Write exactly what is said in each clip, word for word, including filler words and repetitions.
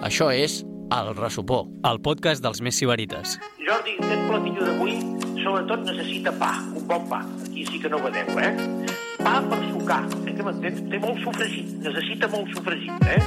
Això és El Ressupó, el podcast dels més sibarites. Jordi, aquest platillo d'avui sobretot necessita pa, un bon pa. Aquí sí que no vedeu, eh? Pa per sucar, eh, que m'entens? Té molt sofregit, necessita molt sofregit, eh?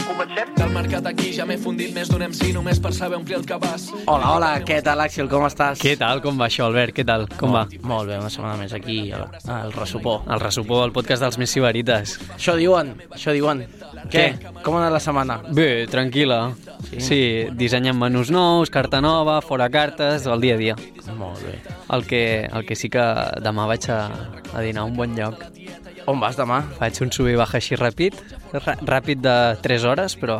Comencem? Del mercat aquí ja m'he fundit més d'un M C només per saber omplir el cabàs. Hola, hola, què tal, Àxel, com estàs? Què tal? Com va això, Albert? Què tal? Com va? Molt bé, una setmana més aquí, al, al Ressupó. El Ressupó, el podcast dels més sibarites. Això diuen, això diuen. Què? Com ha anat la setmana? Bé, tranquil·la. Sí, sí dissenyem menús nous, carta nova, fora cartes, el dia a dia. Molt bé. El que, el que sí que demà vaig a, a dinar a un bon lloc. On vas demà? Faig un sub i baix així ràpid, ràpid de tres hores, però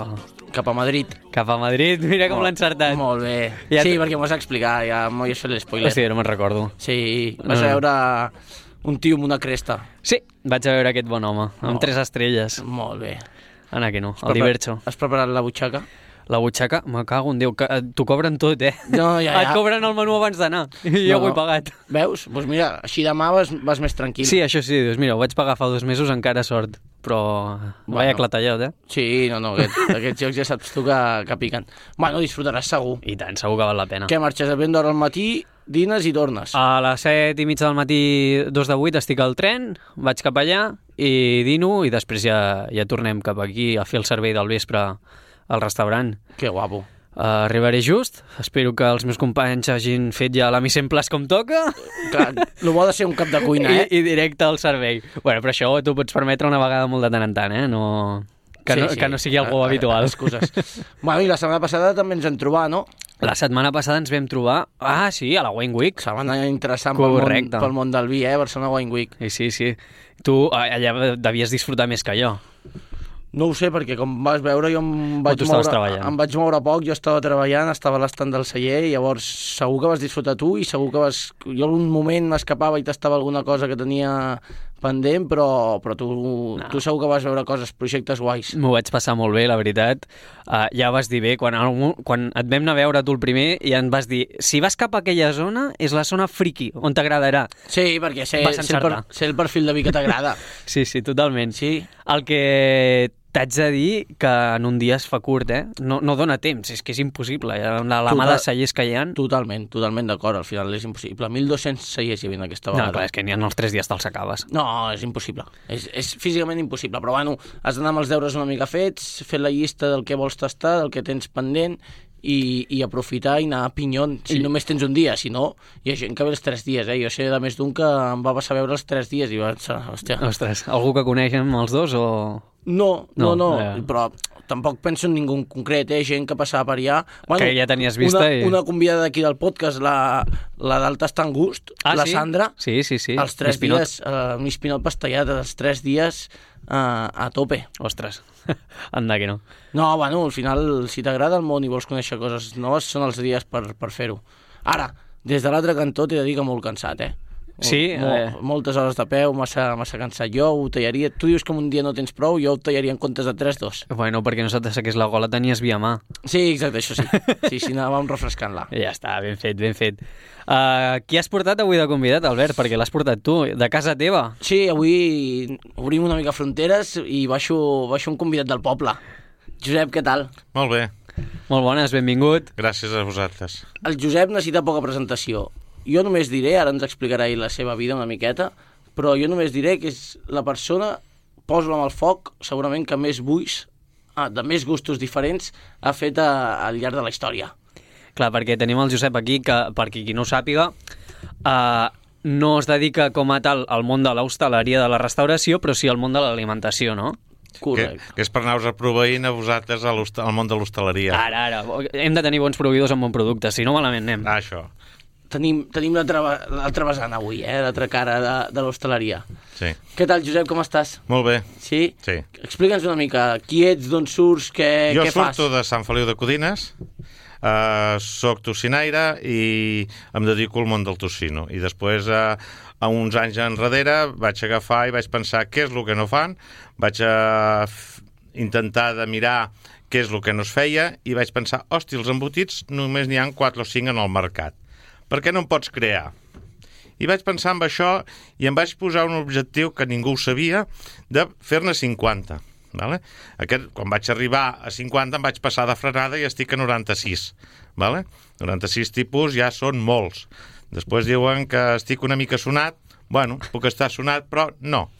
Cap a Madrid. cap a Madrid, mira com l'ha encertat. Molt bé. Ja Sí, t- perquè m'ho has explicat, ja m'ho has fet l'espoiler. Hòstia, no me'n recordo. Sí, vas No, a no. veure un tio amb una cresta. Sí, vaig a veure aquest bon home, amb Oh. tres estrelles. Molt bé. Anar que no, Has el prepar- Divercho. Has preparat la butxaca? La butxaca, me cago en Déu, que eh, t'ho cobren tot, eh? No, ja, ja. Et cobren el menú abans d'anar, i jo No, ho he no. pagat. Veus? Doncs mira, així demà vas, vas més tranquil. Sí, això sí, dius, mira, ho vaig pagar fa dos mesos, encara sort, però Bueno. vaya clatallot, eh? Sí, no, no, aquest, aquests jocs ja saps tu que, que piquen. Bueno, disfrutaràs segur. I tant, segur que val la pena. Què, marxes a ben d'hora al matí, dines i tornes? A les set i mitja del matí, dos de vuit, estic al tren, vaig cap allà i dino, i després ja, ja tornem cap aquí a fer el servei del vespre al restaurant. Que guapo. Uh, arribaré just, espero que els meus companys hagin fet ja la mise en place com toca. Clar, el bo de ser un cap de cuina, eh? I, i directe al servei. Bueno, però això t'ho pots permetre una vegada molt de tant en tant, eh? No... Que, Sí, no, sí. que no sigui algo A- a- habitual. Excuses. Bueno, i la setmana passada també ens vam trobar, no? La setmana passada ens vam trobar... Ah, sí, a la Wine Week. Setmana interessant pel món, Correcte. pel món del vi, eh? Barcelona Wine Week. Sí, sí, sí. Tu eh, allà devies disfrutar més que jo. No ho sé, perquè com vas veure jo em vaig, tu estaves moure, treballant. em vaig moure poc, jo estava treballant, estava a l'estand del celler, i llavors segur que vas disfrutar tu i segur que vas... Jo un moment m'escapava i tastava alguna cosa que tenia pendent, però, però tu, No. tu segur que vas veure coses, projectes guais. M'ho vaig passar molt bé, la veritat. Uh, ja vas dir bé, quan, quan et vam anar a veure tu el primer, ja em vas dir, si vas cap a aquella zona, és la zona friki, on t'agradarà. Sí, perquè sé, Vas sé, el, per, encertar. sé el perfil de vi que t'agrada. Sí, sí, totalment. Sí. El que t'haig de dir que en un dia es fa curt, eh? No, no dona temps, és que és impossible. La, la Total- mà de cellers que hi ha... Totalment, totalment d'acord, al final és impossible. mil dos-cents cellers hi havia aquesta No, vegada. clar, és que ni en els tres dies te'ls acabes. No, és impossible. És, és físicament impossible, però bueno, has d'anar amb els deures una mica fets, fer la llista del que vols tastar, del que tens pendent, i, i aprofitar i anar a pinyon, si I- només tens un dia, si no, hi ha gent que ve els tres dies, eh? Jo sé de més d'un que em va passar a veure els tres dies i va pensar, hòstia... Ostres, algú que coneixem els dos o... No, no, No, no, eh. però tampoc penso en ningú en concret, eh? Gent que passava per allà... Que ja tenies vista una, i- Una convidada d'aquí del podcast, la, la del Tastant Gust, Ah, la sí? Sandra, Sí, sí, sí. els tres Miss Pinot. dies, uh, un espinot pastellat, els tres dies uh, a tope. Ostres, anda que no. No, bueno, al final, si t'agrada el món i vols conèixer coses noves, són els dies per, per fer-ho. Ara, des de l'altre cantó t'he de dir que molt cansat, eh? Molt, Sí, molt, eh. moltes hores de peu, massa, massa cansat. Jo ho tallaria... Tu dius que un dia no tens prou, jo ho tallaria en comptes de tres dos. Bueno, perquè no se t'assequés la gola, tenies via mà. Sí, exacte, això sí. Sí, sí, anàvem refrescant-la. I ja està, ben fet, ben fet. Uh, qui has portat avui de convidat, Albert? Perquè l'has portat tu, de casa teva. Sí, avui obrim una mica fronteres i baixo, baixo un convidat del poble. Josep, què tal? Molt bé, Molt bones, benvingut. gràcies a vosaltres. El Josep necessita poca presentació. Jo només diré, ara ens explicarà ell la seva vida una miqueta, però jo només diré que és la persona, poso-la amb el foc, segurament que més buis, ah, de més gustos diferents, ha fet a, al llarg de la història. Clar, perquè tenim el Josep aquí, que per qui no ho sàpiga, uh, no es dedica com a tal al món de l'hostaleria de la restauració, però sí al món de l'alimentació, no? Que, Correcte. que és per anar-vos a proveint a vosaltres a l'host- al món de l'hostaleria. Ara, ara, hem de tenir bons proveïdors amb bon producte, si no malament anem. Ah, això. Tenim, tenim l'altra l'altra vessant avui, eh? L'altra cara de, de l'hostaleria. Sí. Què tal, Josep, com estàs? Molt bé. Sí? Sí. Explica'ns una mica qui ets, d'on surts, què, Jo què fas. surto de Sant Feliu de Codines, uh, soc tocinaire i em dedico al món del tocino. I després, uh, a uns anys enrere, vaig agafar i vaig pensar què és el que no fan, vaig a f- intentar de mirar què és el que no es feia i vaig pensar, hòstia, els embotits només n'hi ha quatre o cinc en el mercat. Per què no en pots crear? I vaig pensar en això i em vaig posar un objectiu que ningú ho sabia, de fer-ne cinquanta Vale? Aquest, quan vaig arribar a cinquanta em vaig passar de frenada i estic a noranta-sis. Vale? noranta-sis tipus ja són molts. Després diuen que estic una mica sonat. Bueno, puc estar sonat, però no.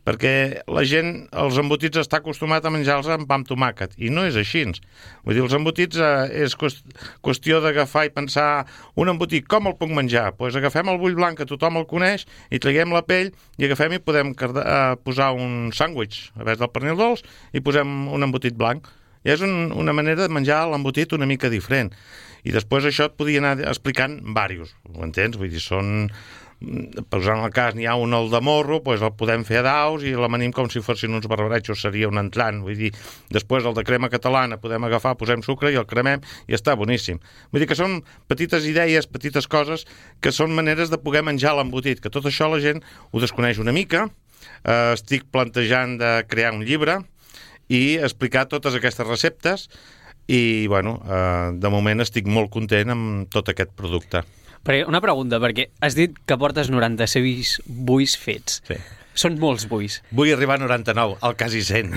Perquè la gent, els embotits, està acostumat a menjar-los amb pa amb tomàquet, i no és així. Vull dir, els embotits eh, és qüestió d'agafar i pensar un embotit, com el puc menjar? Doncs pues agafem el bull blanc, que tothom el coneix, i traguem la pell, i agafem i podem carda, eh, posar un sàndwich, a vegades del pernil dolç, i posem un embotit blanc. I és un, una manera de menjar l'embotit una mica diferent. I després això et podia anar explicant diversos, ho entens? Vull dir, són... Posant el cas, n'hi ha un el de morro, doncs el podem fer a daus i l'amanim com si fossin uns barbaretxos, seria un entlant. Vull dir, després el de crema catalana podem agafar, posem sucre i el cremem i està boníssim. Vull dir que són petites idees, petites coses, que són maneres de poder menjar l'embotit, que tot això la gent ho desconeix una mica. Eh, estic plantejant de crear un llibre i explicar totes aquestes receptes i, bueno, eh, de moment estic molt content amb tot aquest producte. Perquè una pregunta, perquè has dit que portes noranta-sis buis fets. Sí. Són molts buis. Vull arribar a noranta-nou, al quasi cent.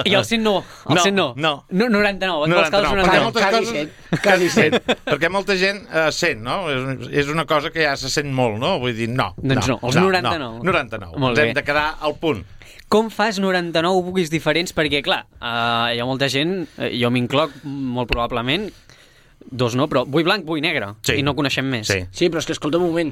I el cent no, el no, cent no. No. no noranta-nou, et vols quedar als noranta-nou. noranta-nou. Quasi cent, quasi cent. Perquè molta gent eh, sent, no? És, és una cosa que ja se sent molt, no? Vull dir, no. Doncs no, els no, noranta-nou. No, noranta-nou. Molt Ens bé. hem de quedar al punt. Com fas noranta-nou buis diferents? Perquè, clar, eh, hi ha molta gent, eh, jo m'incloc molt probablement, dos no, però bull blanc, bull negre, Sí. i no coneixem més. Sí. Sí, però és que, escolta un moment,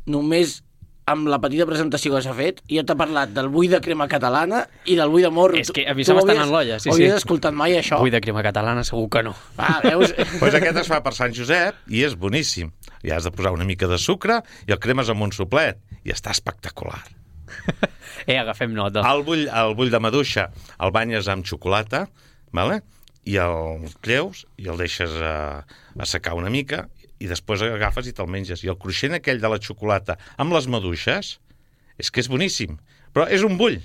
només amb la petita presentació que s'ha fet, jo t'he parlat del bull de crema catalana i del bull de morro. És que a mi Tu se m'estan havies- en l'olla, sí, sí. Havies escoltat mai això? Bull de crema catalana segur que no. Ah, veus? Pues aquest es fa per Sant Josep i és boníssim. I has de posar una mica de sucre i el cremes amb un soplet i està espectacular. Eh, agafem nota. El bull, el bull de maduixa el banyes amb xocolata, vale? I el creus i el deixes a, a secar una mica i després agafes i te'l menges. I el cruixent aquell de la xocolata amb les maduixes és que és boníssim. Però és un bull.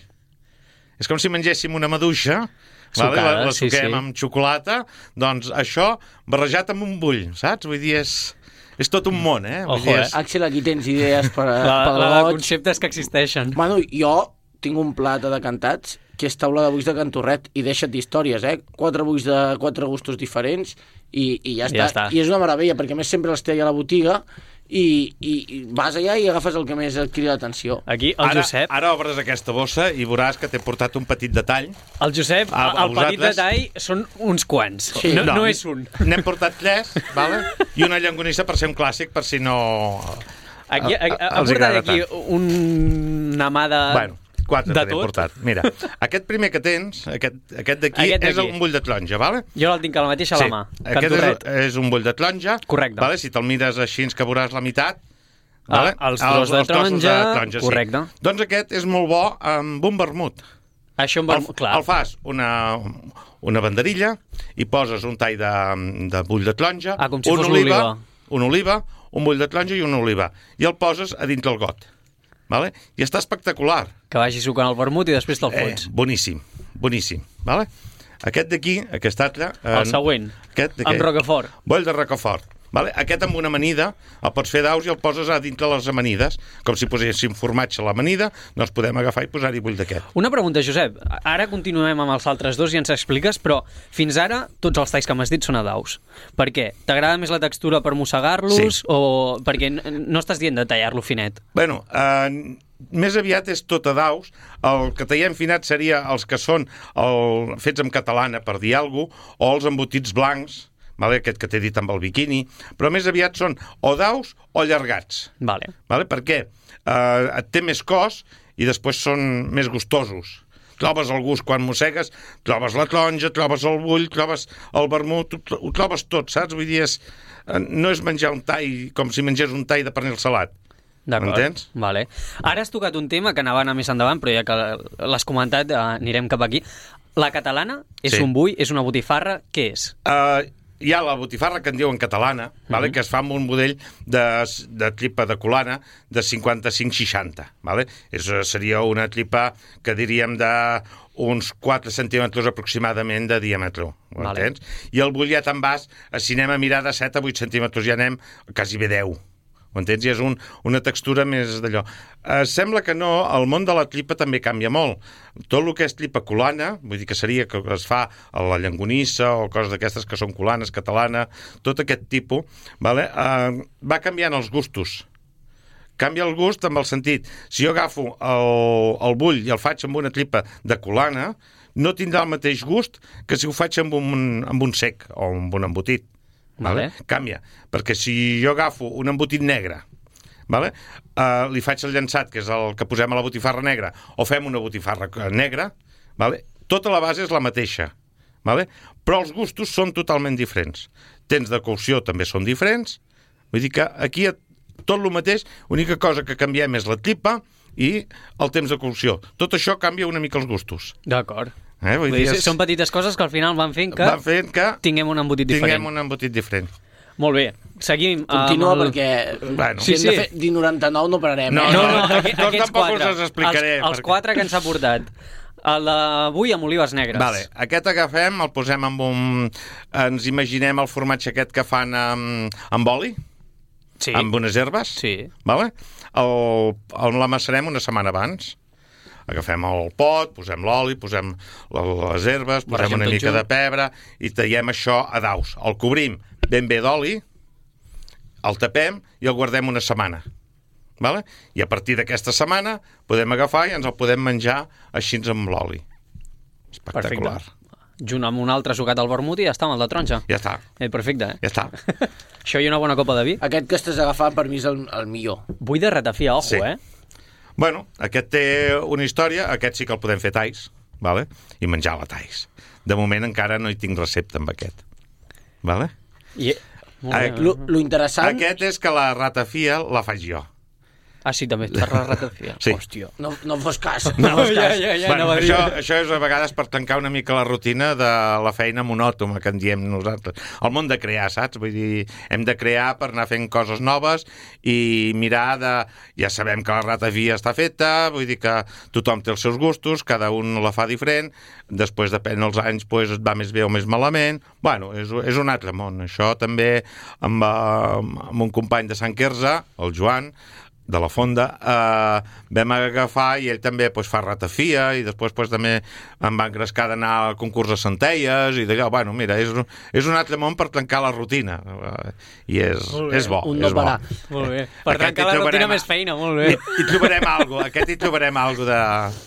És com si mengéssim una maduixa, vale? Sucada, la, la sí, suquem sí. amb xocolata, doncs això barrejat amb un bull, saps? Vull dir, és, és tot un món, eh? Vull Ojo, dir, eh? és... Axel, aquí tens idees per, La, pel la de goig. conceptes que existeixen. Manu, jo tinc un plat de cantats que és taula de buis de Cantorret i deixa't d'històries, eh? Quatre buis de quatre gustos diferents i, i ja, està. Ja està. I és una meravella, perquè a més sempre els té allà a la botiga i, i, i vas allà i agafes el que més et crida l'atenció. Aquí el Ara, Josep, ara obres aquesta bossa i veuràs que t'he portat un petit detall. el Josep, A- a el petit vosaltres? detall són uns quants. Sí. no, no és un. N'hem portat tres, vale? I una llonganissa per ser un clàssic, per si no... Aquí, a- a, a- ha els portat agrada aquí un, una mà de... Bueno, quatre de te n'he tot. portat. Mira, aquest primer que tens, aquest, aquest d'aquí, Aquest d'aquí. és un bull de taronja, vale? Jo el tinc a la mateixa a la mà. Aquest Cantorret. és, és un bull de taronja. Correcte. Vale? Si te'l mires així, que veuràs la meitat. Ah, Vale? els tros de trossos taronja, taronja, correcte. Sí. Doncs aquest és molt bo amb un vermut. Això em va... El, Clar. el fas una, una banderilla i poses un tall de, de bull de taronja, Ah, com si una fos oliva, l'oliva. una oliva, un bull de taronja i una oliva. I el poses a dintre el got. Vale? I està espectacular. Que vagi sucant el vermut i després te'l Eh, fots. boníssim, boníssim. Vale? Aquest d'aquí, aquest altre... El següent, Aquest, amb Rocafort. Boll de Rocafort. Vale? Aquest amb una amanida el pots fer daus i el poses a dintre les amanides. Com si poséssim formatge a l'amanida, doncs podem agafar i posar-hi bull d'aquest. Una pregunta, Josep. Ara continuem amb els altres dos i ens expliques, però fins ara tots els talls que m'has dit són a daus. Per què? T'agrada més la textura per mossegar-los Sí. o perquè n- no estàs dient de tallar-lo finet? Bueno, eh, més aviat és tot a daus. El que tallem finat seria els que són el, fets en catalana, per dir alguna cosa, o els embotits blancs, vale? Aquest que t'he dit amb el biquini, però més aviat són o daus o allargats. Vale. Vale? Per què? Eh, et té més cos i després són més gustosos. Trobes el gust quan mossegues, trobes la taronja, trobes el bull, trobes el vermut, ho, ho trobes tot, saps? Vull dir, és, eh, no és menjar un tall com si mengés un tall de pernil salat. D'acord. M'entens? Vale. Ara has tocat un tema que anava a anar més endavant, però ja que l'has comentat, eh, anirem cap aquí. La catalana és Sí. un bull, és una botifarra, què és? Uh, hi ha la botifarra que en diuen catalana, vale? Que es fa amb un budell de, de tripa de colana de cinquanta-cinc seixanta. Vale? És, seria una tripa que diríem de uns quatre centímetres aproximadament de diàmetre. Ho Vale. entens? I el bull ja te'n vas, si anem a mirar de set a vuit centímetres, ja anem quasi bé deu. ho entens? I és un, una textura més d'allò. Eh, sembla que no, el món de la tripa també canvia molt. Tot el que és tripa colana, vull dir que seria que es fa a la Llonganissa o coses d'aquestes que són colanes, catalana, tot aquest tipus, vale? eh, va canviant els gustos. Canvia el gust amb el sentit. Si jo agafo el, el bull i el faig amb una tripa de colana, no tindrà el mateix gust que si ho faig amb un, amb un sec o amb un embotit. Vale? Vale. Canvia. Perquè si jo agafo un embotit negre, vale? uh, li faig el llançat, que és el que posem a la botifarra negra, o fem una botifarra negra, vale? Tota la base és la mateixa. Vale? Però els gustos són totalment diferents. Temps de cocció també són diferents. Vull dir que aquí tot el mateix, l'única cosa que canviem és la tripa i el temps de cocció. Tot això canvia una mica els gustos. D'acord. Eh? Vull dir, és... Són petites coses que al final van fent que, van fent que tinguem un embotit diferent. Tinguem un embotit diferent. Molt bé. Seguim. Continua el... perquè bueno. si sí, hem sí. de fer dir noranta-nou no pararem. No, eh? No, no, no, no, aqu no aquests tampoc quatre. us els explicaré. Els, els perquè... quatre que ens ha portat. El d'avui amb olives negres. Vale. Aquest agafem, el posem amb un... Ens imaginem el formatge aquest que fan amb, amb oli, sí. amb unes herbes. Sí. Vale? El, el l'amassarem una setmana abans. Agafem el pot, posem l'oli, posem les herbes, posem Barregem una tot mica junt. de pebre i tallem això a daus. El cobrim ben bé d'oli, el tapem i el guardem una setmana. Vale? I a partir d'aquesta setmana podem agafar i ens el podem menjar així amb l'oli. Espectacular. Perfecte. Junt amb un altre sucat al vermut i ja està, amb el de taronja. Ja està. Eh, perfecte, eh? Ja està. Això i una bona copa de vi. Aquest que estàs agafant per mi és el, el millor. Vull de ratafia, ojo, Sí. eh? Bueno, aquest té una història, aquest sí que el podem fer talls, vale? I menjar la talls. De moment encara no hi tinc recepta amb aquest. Vale? I... Molt bé. Lo, lo interessant... Aquest és que la ratafia la faig jo. Ah, sí, també per la ratafia. Sí. Hòstia. No, no fos cas. No, No fos ja, cas. ja, ja, bueno, anava a dir. això, això és a vegades per tancar una mica la rutina de la feina monòtona que en diem nosaltres. El món de crear, saps? Vull dir, hem de crear per anar fent coses noves i mirar de... Ja sabem que la ratafia està feta, vull dir que tothom té els seus gustos, cada un la fa diferent, després depèn dels anys, pues, et va més bé o més malament. Bueno, és, és un altre món. Això també amb, amb un company de Sant Quirze, el Joan, de la Fonda, eh, vam agafar i ell també pues, fa ratafia i després pues, també em va engrescar d'anar al concurs de centelles i d'allò, bueno, mira, és, és un altre món per trencar la rutina eh, i és, és bo, Un no és bo. parar. Molt bé. Per Aquest trencar hi la rutina trobarem- més feina, molt bé. I, i trobarem alguna cosa, aquest hi trobarem alguna de...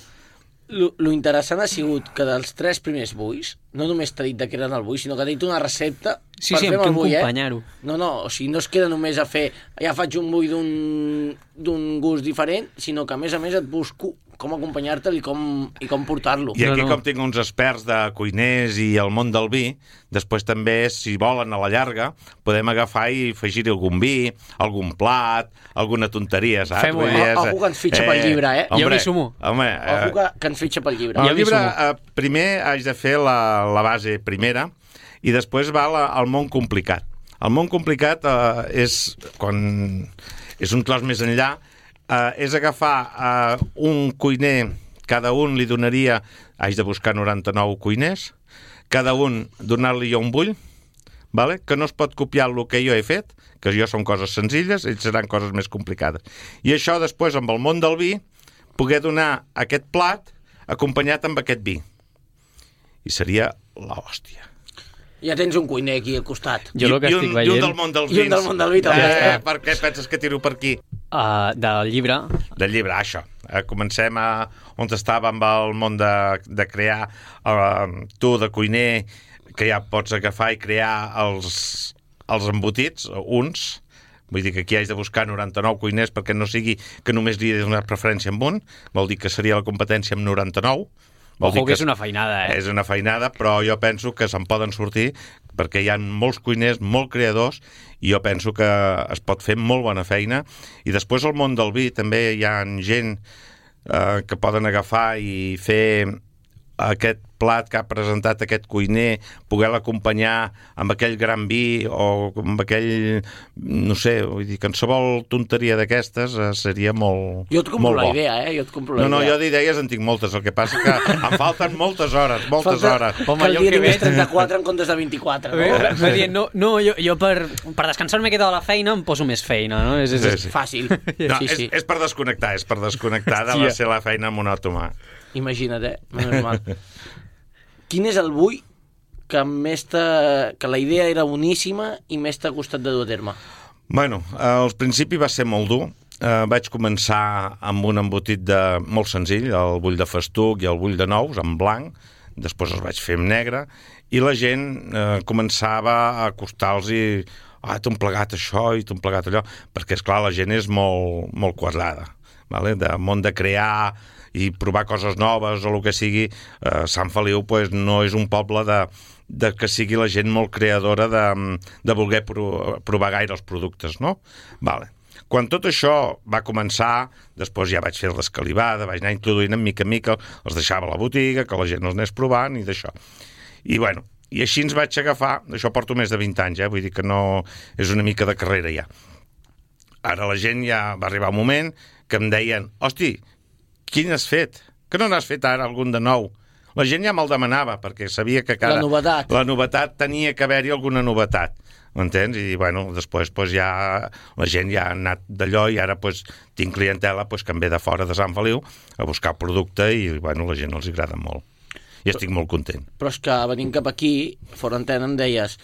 Lo, lo interessant ha sigut que dels tres primers buis, no només t'ha dit de què eren el bui, sinó que t'ha dit una recepta Sí, per sí, fer amb el què bui, eh? acompanyar-ho. No, no, o sigui, no es queda només a fer ja faig un bui d'un d'un gust diferent, sinó que a més a més et busco com acompanyar-te'l i com, i com portar-lo. I aquí, No, no. com tinc uns experts de cuiners i el món del vi, després també, si volen a la llarga, podem agafar i afegir algun vi, algun plat, alguna tonteria, saps? Fem-ho, Vull eh? dir, és- Ojo que ens fitxa pel llibre, eh? Jo Hombre, m'hi sumo. Home, Ojo eh, que, que ens fitxa pel llibre. Jo el m'hi llibre, sumo. eh, primer haig de fer la, la base primera i després va la, al món complicat. El món complicat eh, és, quan és un tros més enllà, eh, és agafar eh, un cuiner, cada un li donaria, haig de buscar noranta-nou cuiners, cada un donar-li jo un bull, vale? Que no es pot copiar el que jo he fet, que jo són coses senzilles, ells seran coses més complicades. I això després, amb el món del vi, poder donar aquest plat acompanyat amb aquest vi. I seria l'hòstia. Ja tens un cuiner aquí al costat. Jo el que I, estic un, veient... I un del món dels I un vins. del món del vi, també. Eh, per què penses que tiro per aquí? Uh, del llibre. Del llibre, això. Eh, comencem a on estava amb el món de, de crear uh, tu de cuiner, que ja pots agafar i crear els, els embotits, uns. Vull dir que aquí haig de buscar noranta-nou cuiners perquè no sigui que només li he donat preferència amb un. Vol dir que seria la competència amb noranta-nou. Vol Ojo dir que és una feinada, eh? És una feinada, però jo penso que se'n poden sortir perquè hi ha molts cuiners, molt creadors, i jo penso que es pot fer molt bona feina. I després al món del vi també hi ha gent eh, que poden agafar i fer aquest plat que ha presentat aquest cuiner, poder l'acompanyar amb aquell gran vi o amb aquell, no sé, vull dir, qualsevol tonteria d'aquestes eh, seria molt, jo et compro molt la bo. idea, eh? Jo et compro la No, no, idea. jo d'idees en tinc moltes, el que passa que em falten moltes hores, moltes Falta hores. Home, que el jo dia que tingués veig- trenta-quatre en comptes de vint-i-quatre, No, no? dient, no, no jo, jo per, per descansar una miqueta de la feina em poso més feina, no? És, és, Sí, sí. Fàcil. No, sí, és, sí. és per desconnectar, és per desconnectar de Hòstia. la seva feina monòtona. Imagina't, eh? Menys mal. Quin és el bull que més t'ha... que la idea era boníssima i més t'ha costat de dur a terme? Bueno, al principi va ser molt dur. Eh, vaig començar amb un embotit de, molt senzill, el bull de festuc i el bull de nous, en blanc. Després els vaig fer en negre. I la gent eh, començava a acostar-los i... Ah, t'ho han plegat això i t'ho han plegat allò. Perquè, esclar, la gent és molt, molt quadrada. Vale? De món de crear i provar coses noves o el que sigui. Eh, Sant Feliu pues, no és un poble de, de que sigui la gent molt creadora de, de voler pro, provar gaire els productes, no? Vale. Quan tot això va començar, després ja vaig fer l'escalivada, vaig anar introduint en mica en mica, els deixava a la botiga, que la gent els anés provant i d'això. I bueno, i així ens vaig agafar, això porto més de vint anys, eh? Vull dir que no és una mica de carrera ja. Ara la gent ja va arribar un moment que em deien, hosti, quin has fet? Que no n'has fet ara algun de nou? La gent ja me'l demanava, perquè sabia que cada... La novetat. La novetat tenia que haver-hi alguna novetat, m'entens? I, bueno, després pues, ja la gent ja ha anat d'allò i ara pues, tinc clientela pues, que em ve de fora de Sant Feliu a buscar producte i, bueno, la gent els agrada molt. I estic molt content. Però és que venint cap aquí, fora antena, em deies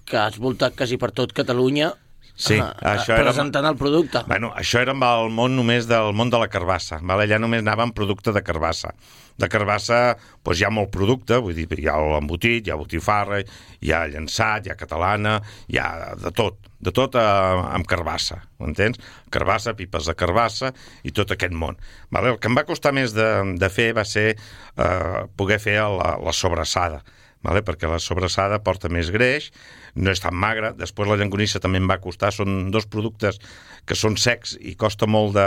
que has voltat quasi per tot Catalunya Sí, ah, això era... presentant el producte. Bueno, això era amb el món només del món de la carbassa, vale? Allà només anava amb producte de carbassa. De carbassa doncs hi ha molt producte, vull dir, hi ha l'embotit, hi ha botifarra, hi ha llançat, hi ha catalana, hi ha de tot, de tot eh, amb carbassa, m'entens? Carbassa, pipes de carbassa i tot aquest món. Vale? El que em va costar més de, de fer va ser eh, poder fer la, la sobrassada, vale? Perquè la sobrassada porta més greix, no és tan magra. Després la llonganissa també em va costar, són dos productes que són secs i costa molt de,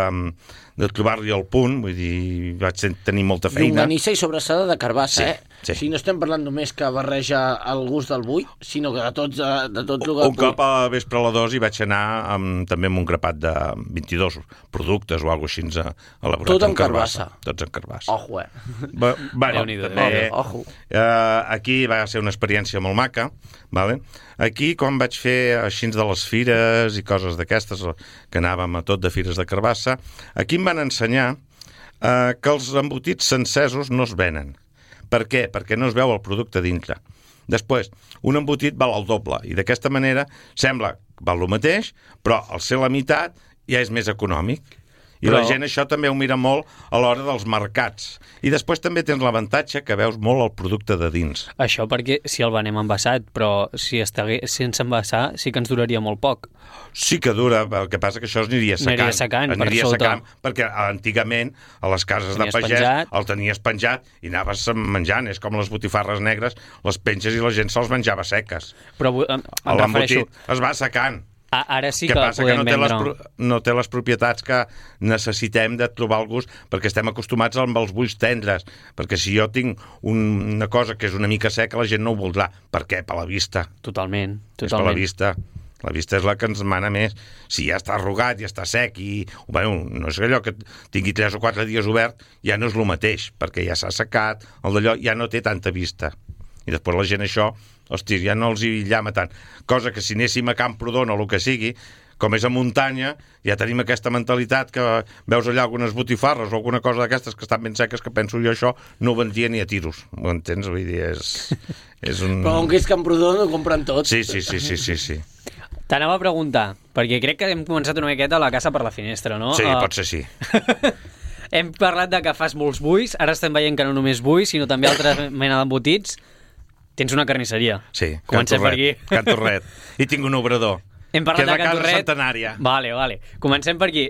de trobar-li el punt, vull dir, vaig tenir molta feina. Llonganissa i sobrassada de carbassa, Sí, eh? sí. O sigui, no estem parlant només que barreja el gust del bull, sinó que de tots, de tot el Un cop a vespre a la dos hi vaig anar amb, també amb un grapat de vint-i-dos productes o alguna cosa així elaborat Tot en amb carbassa. carbassa. Tots en carbassa. Ojo, eh? Ba, bueno, Déu-n'hi-do, també, Ojo. eh, aquí va ser una experiència molt maca, vale? Aquí, quan vaig fer així de les fires i coses d'aquestes, que anàvem a tot de fires de carbassa, aquí em van ensenyar eh, que els embotits sencesos no es venen. Per què? Perquè no es veu el producte dintre. Després, un embotit val el doble, i d'aquesta manera sembla que val el mateix, però al ser la meitat ja és més econòmic. I Però... la gent això també ho mira molt a l'hora dels mercats. I després també tens l'avantatge que veus molt el producte de dins. Això perquè si el venem envasat, però si estigués sense envasar sí que ens duraria molt poc. Sí que dura, el que passa que això es aniria secant. Aniria secant, per aniria sota. secant, perquè antigament a les cases Tenies de pagès penjat. el tenies penjat i anaves menjant. És com les botifarres negres, les penges i la gent se'ls menjava seques. Però eh, em, em refereixo... L'embotit es va secant. A, ara sí que que, passa que podem no té, les, vendre... pro- no té les propietats que necessitem de trobar el gust, perquè estem acostumats amb els bulls tendres, perquè si jo tinc un, una cosa que és una mica seca, la gent no ho voldrà. Per què? Per la vista. Totalment, És per la totalment. vista. La vista és la que ens mana més. Si ja està arrugat, ja està sec i... Bueno, no és allò que tingui tres o quatre dies obert, ja no és el mateix, perquè ja s'ha secat, el d'allò ja no té tanta vista. I després la gent això, hosti, ja no els hi llama tant. Cosa que si anéssim a Camprodon o el que sigui, com és a muntanya, ja tenim aquesta mentalitat que veus allà algunes botifarres o alguna cosa d'aquestes que estan ben seques, que penso jo això no ho vendria ni a tiros. Ho entens? Vull dir, és, és un... Però com que és Camprodon ho compren tot. Sí, sí, sí, sí, sí, sí. T'anava a preguntar, perquè crec que hem començat una miqueta la casa per la finestra, no? Sí, Uh, pot ser sí. Hem parlat de que fas molts bulls, ara estem veient que no només bulls, sinó també altra mena d'embotits. Tens una carnisseria. Sí, Comencem per aquí. Can Torret. I tinc un obrador. Hem parlat que és la de Can casa Torret. centenària. Vale, vale. Comencem per aquí.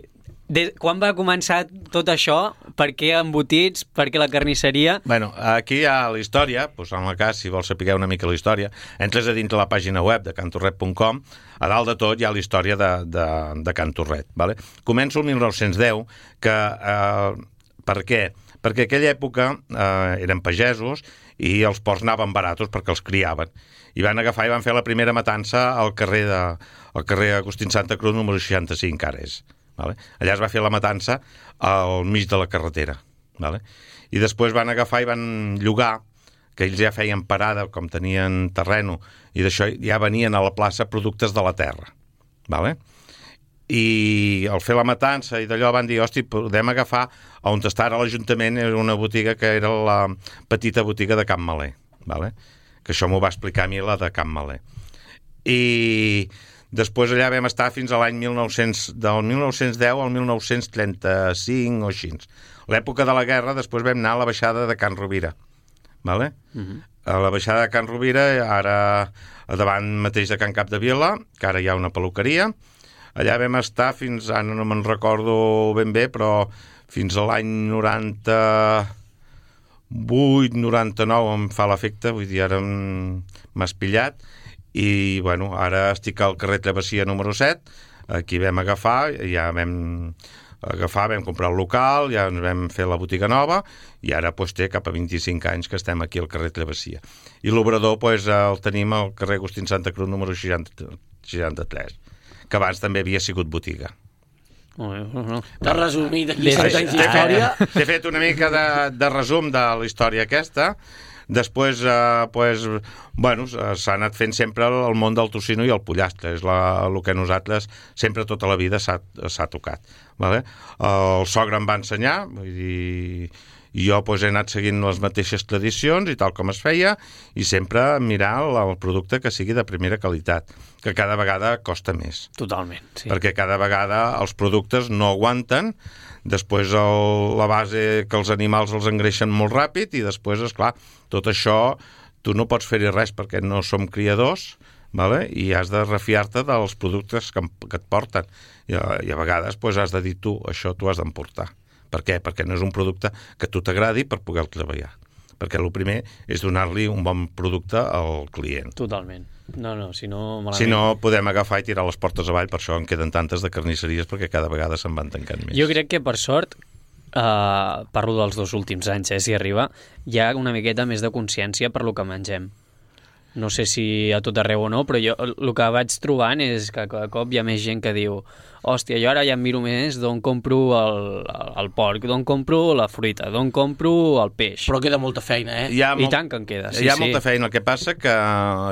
De... Quan va començar tot això? Per què embotits? Per què la carnisseria? Bueno, aquí hi ha la història, doncs en el cas, si vols saber una mica la història, entres a dintre la pàgina web de can torret punt com, a dalt de tot hi ha la història de, de, de Can Torret. Vale? Començo el mil nou-cents deu, que... Eh, per què? Perquè aquella època eh, eren pagesos i els porcs anaven baratos perquè els criaven. I van agafar i van fer la primera matança al carrer de, al carrer Agustín Santa Cruz, número seixanta-cinc, ara és. Vale? Allà es va fer la matança al mig de la carretera. Vale? I després van agafar i van llogar, que ells ja feien parada, com tenien terreno, i d'això ja venien a la plaça productes de la terra. Vale? I al fer la matança i d'allò van dir, hosti, podem agafar on està ara l'Ajuntament, era una botiga que era la petita botiga de Can Malé, vale? Que això m'ho va explicar a mi la de Can Malé. I després allà vam estar fins a l'any mil nou-cents, del mil nou-cents deu al mil nou-cents trenta-cinc o així. L'època de la guerra, després vam anar a la baixada de Can Rovira, vale? Uh-huh. A la baixada de Can Rovira, ara davant mateix de Can Cap de Vila, que ara hi ha una peluqueria. Allà vam estar fins, ara no me'n recordo ben bé, però fins a l'any noranta-vuit, noranta-nou em fa l'efecte, vull dir, ara m'has pillat, i, bueno, ara estic al carrer Travessia número set, aquí vam agafar, ja vam agafar, vam comprar el local, ja ens vam fer la botiga nova, i ara pues, té cap a vint-i-cinc anys que estem aquí al carrer Travessia. I l'obrador pues, el tenim al carrer Agustín Santa Cruz número seixanta-tres, que abans també havia sigut botiga. Oh, oh, oh. T'has resumit aquí cent anys d'història. He fet una mica de, de resum de la història aquesta. Després, eh, pues, bueno, s'ha anat fent sempre el món del tocino i el pollastre. És la, el que nosaltres sempre tota la vida s'ha, s'ha tocat. Vale? El sogre em va ensenyar, vull dir... I jo pues, he anat seguint les mateixes tradicions i tal com es feia, i sempre mirar el, el producte que sigui de primera qualitat, que cada vegada costa més. Totalment, sí. Perquè cada vegada els productes no aguanten, després el, la base que els animals els engreixen molt ràpid, i després, esclar, tot això tu no pots fer-hi res perquè no som criadors, vale? I has de refiar-te dels productes que, que et porten. I a, i a vegades pues, has de dir tu, això tu has d'emportar. Per què? Perquè no és un producte que a tu t'agradi per poder treballar. Perquè el primer és donar-li un bon producte al client. Totalment. No, no, si no... Malament. Si no, podem agafar i tirar les portes avall, per això en queden tantes de carnisseries, perquè cada vegada se'n van tancant més. Jo crec que, per sort, eh, parlo dels dos últims anys, eh, si arriba, hi ha una miqueta més de consciència per lo que mengem. No sé si a tot arreu o no, però jo el que vaig trobant és que cada cop hi ha més gent que diu hòstia, jo ara ja em miro més d'on compro el, el porc, d'on compro la fruita, d'on compro el peix. Però queda molta feina, eh? Hi ha I molt... tant que en queda, sí, Hi ha sí. molta feina. El que passa que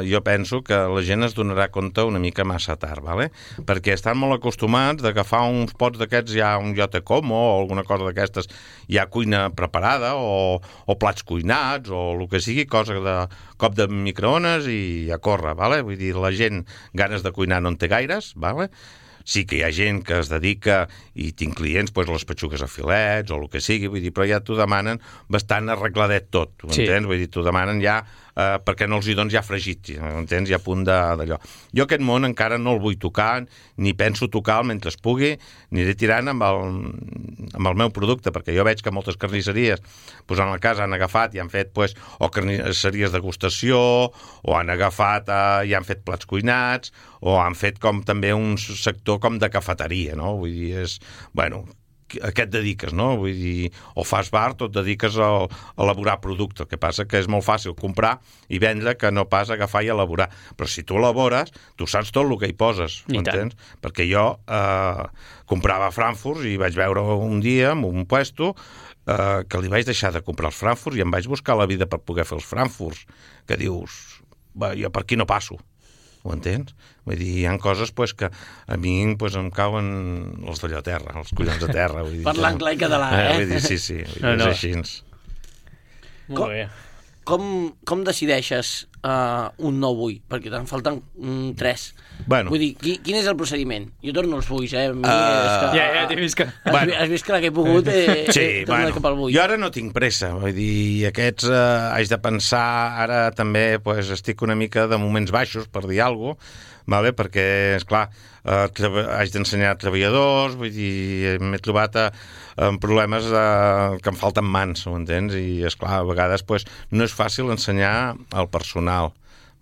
jo penso que la gent es donarà compte una mica massa tard, ¿vale? Perquè estan molt acostumats d'agafar uns pots d'aquests, ja un Jote Como o alguna cosa d'aquestes, ja cuina preparada o, o plats cuinats o el que sigui, cosa de cop de microones i a córrer, ¿vale? Vull dir, la gent ganes de cuinar no en té gaires, ¿vale? Sí que hi ha gent que es dedica, i tinc clients, doncs, les petxugues a filets o el que sigui, vull dir, però ja t'ho demanen bastant arregladet tot, sí. Entens? Vull dir, t'ho demanen ja, eh, perquè no els hi dones ja fregit, entens? Ja a punt d'allò. Jo aquest món encara no el vull tocar, ni penso tocar mentre es pugui, aniré tirant amb el, amb el meu producte, perquè jo veig que moltes carnisseries, doncs en el cas han agafat i han fet, doncs, o carnisseries de degustació, o han agafat eh, i han fet plats cuinats, o han fet com també un sector com de cafeteria, no? Vull dir, és... Bueno, a què et dediques, no? Vull dir, o fas bar o et dediques a, a elaborar producte. El que passa que és molt fàcil comprar i vendre que no pas agafar i elaborar. Però si tu elabores, tu saps tot el que hi poses, m'entens? Perquè jo eh, comprava frankfurts i vaig veure un dia en un puesto eh, que li vaig deixar de comprar els frankfurts i em vaig buscar la vida per poder fer els frankfurts, que dius, va, jo per aquí no passo. Ho entens? Vull dir, hi ha coses pues, que a mi pues, em cauen els d'allò a terra, els collons a terra. Vull dir, parlant clar i català, eh? eh? Vull dir, sí, sí, vull dir, no, no. És així. Molt bé. Com, com decideixes uh, un nou bull? Perquè te'n falten mm, tres. Bueno. Vull dir, qui, quin és el procediment? Jo torno als bulls, eh? A mi, Uh, és que, ja, ja t'he vist que... Has, bueno. has vist que la que he pogut eh, sí, he tornat bueno, cap al bull. jo ara no tinc pressa, vull dir, aquests eh, haig de pensar, ara també pues, estic una mica de moments baixos, per dir alguna cosa, vale? Perquè, esclar, eh, haig d'ensenyar treballadors, vull dir, m'he trobat a, amb problemes eh, que em falten mans, ho entens? I, esclar, a vegades pues, no és fàcil ensenyar al personal.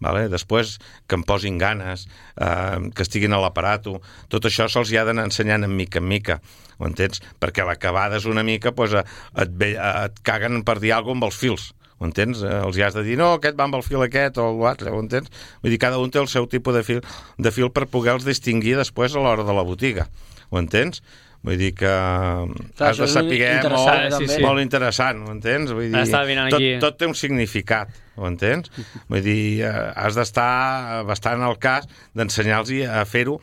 Vale? Després que em posin ganes, eh, que estiguin a l'aparato, tot això se'ls hi ha d'anar ensenyant en mica en mica, ho entens? Perquè a l'acabada és una mica, pues, et, ve, et caguen per dir alguna cosa amb els fils, ho ho entens? Els hi has de dir, no, aquest va amb el fil aquest o l'altre, ho entens? Vull dir, cada un té el seu tipus de fil, de fil per poder-los distingir després a l'hora de la botiga, ho entens? Vull dir que clar, has de saber molt, sí, sí. molt interessant, ho entens? Vull dir, tot, aquí. tot té un significat, ho entens? Vull dir, has d'estar bastant al cas d'ensenyar-los a fer-ho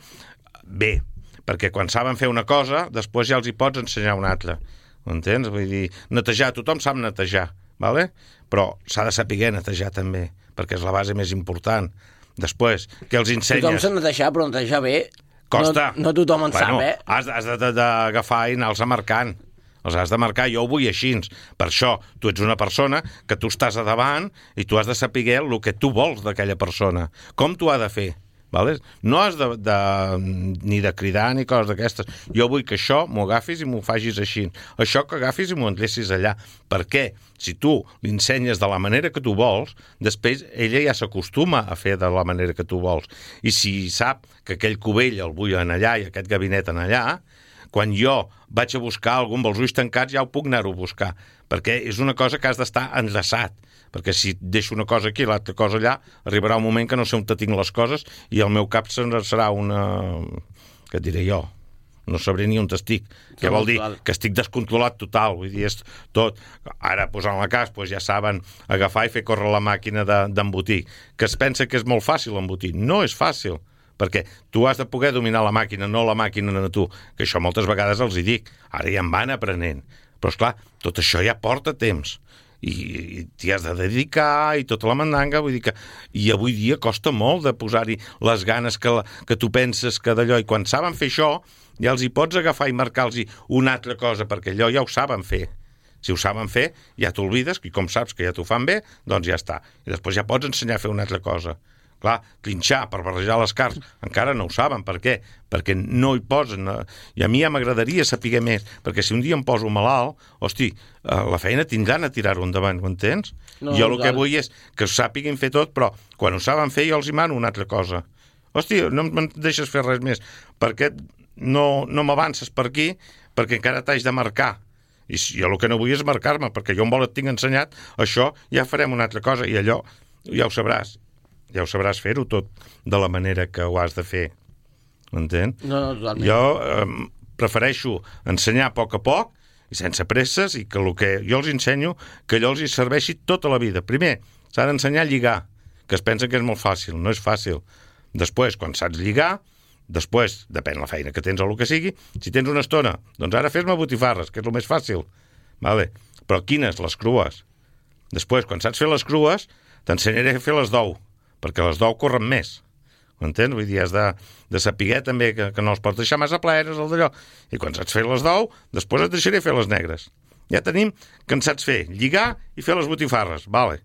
bé, perquè quan saben fer una cosa, després ja els hi pots ensenyar una altra, ho entens? Vull dir, netejar, tothom sap netejar, vale? Però s'ha de saber netejar també, perquè és la base més important. Després, que els ensenyes... Tothom sap netejar, però netejar bé costa. No, no tothom en bueno, sap, eh? Has, has d'agafar i anar-los marcant. Els has de marcar, jo ho vull així. Per això, tu ets una persona que tu estàs a davant i tu has de saber el que tu vols d'aquella persona. Com tu ha de fer. Vale? No has de, de, ni de cridar ni coses d'aquestes. Jo vull que això m'ho agafis i m'ho facis així. Això que agafis i m'ho endrecis allà. Per què? Si tu l'ensenyes de la manera que tu vols, després ella ja s'acostuma a fer de la manera que tu vols. I si sap que aquell cubell el vull en allà i aquest gabinet en allà, quan jo vaig a buscar algun amb els ulls tancats ja ho puc anar-ho a buscar, perquè és una cosa que has d'estar enllaçat, perquè si deixo una cosa aquí i l'altra cosa allà, arribarà un moment que no sé on te tinc les coses i el meu cap serà una... què et diré jo? No sabré ni on estic. Què vol dir? Que estic descontrolat total. Vull dir, és tot... Ara, posant la cas, doncs ja saben agafar i fer córrer la màquina d'embotir. Que es pensa que és molt fàcil embotir. No és fàcil, perquè tu has de poder dominar la màquina, no la màquina a tu, que això moltes vegades els hi dic. Ara ja en van aprenent. Però, esclar, tot això ja porta temps. I t'hi has de dedicar i tota la mandanga, vull dir que i avui dia costa molt de posar-hi les ganes que, la, que tu penses que d'allò, i quan saben fer això ja els hi pots agafar i marcar-los una altra cosa, perquè allò ja ho saben fer. Si ho saben fer, ja t'oblides, i com saps que ja t'ho fan bé, doncs ja està. I després ja pots ensenyar a fer una altra cosa. Clar, trinxar per barrejar les carns, encara no ho saben. Per què? Perquè no hi posen. I a mi ja m'agradaria saber més, perquè si un dia em poso malalt, hosti, la feina tindran a tirar-ho endavant, ho entens? No, jo el que vull és que ho sàpiguin fer tot, però quan ho saben fer jo els hi mano una altra cosa. Hosti, no em deixes fer res més, perquè no, no m'avances per aquí, perquè encara t'haig de marcar. I jo el que no vull és marcar-me, perquè jo en vol et tinc ensenyat, això ja farem una altra cosa, i allò ja ho sabràs. Ja ho sabràs fer-ho tot de la manera que ho has de fer. M'entén? No, no, totalment. Jo eh, prefereixo ensenyar a poc a poc i sense presses, i que el que jo els ensenyo que allò els hi serveixi tota la vida. Primer, s'ha d'ensenyar a lligar, que es pensa que és molt fàcil. No és fàcil. Després, quan saps lligar, després, depèn la feina que tens o el que sigui, si tens una estona, doncs ara fes-me botifarres, que és el més fàcil. Vale. Però quines? Les crues. Després, quan saps fer les crues, t'ensenyaré a fer les d'ou, perquè les d'ou corren més, ho entens? Vull dir, has de, de saber també que, que no els pots deixar massa plenes, el d'allò. I quan saps fer les d'ou, després et deixaré fer les negres. Ja tenim que en saps fer lligar i fer les botifarres, vale.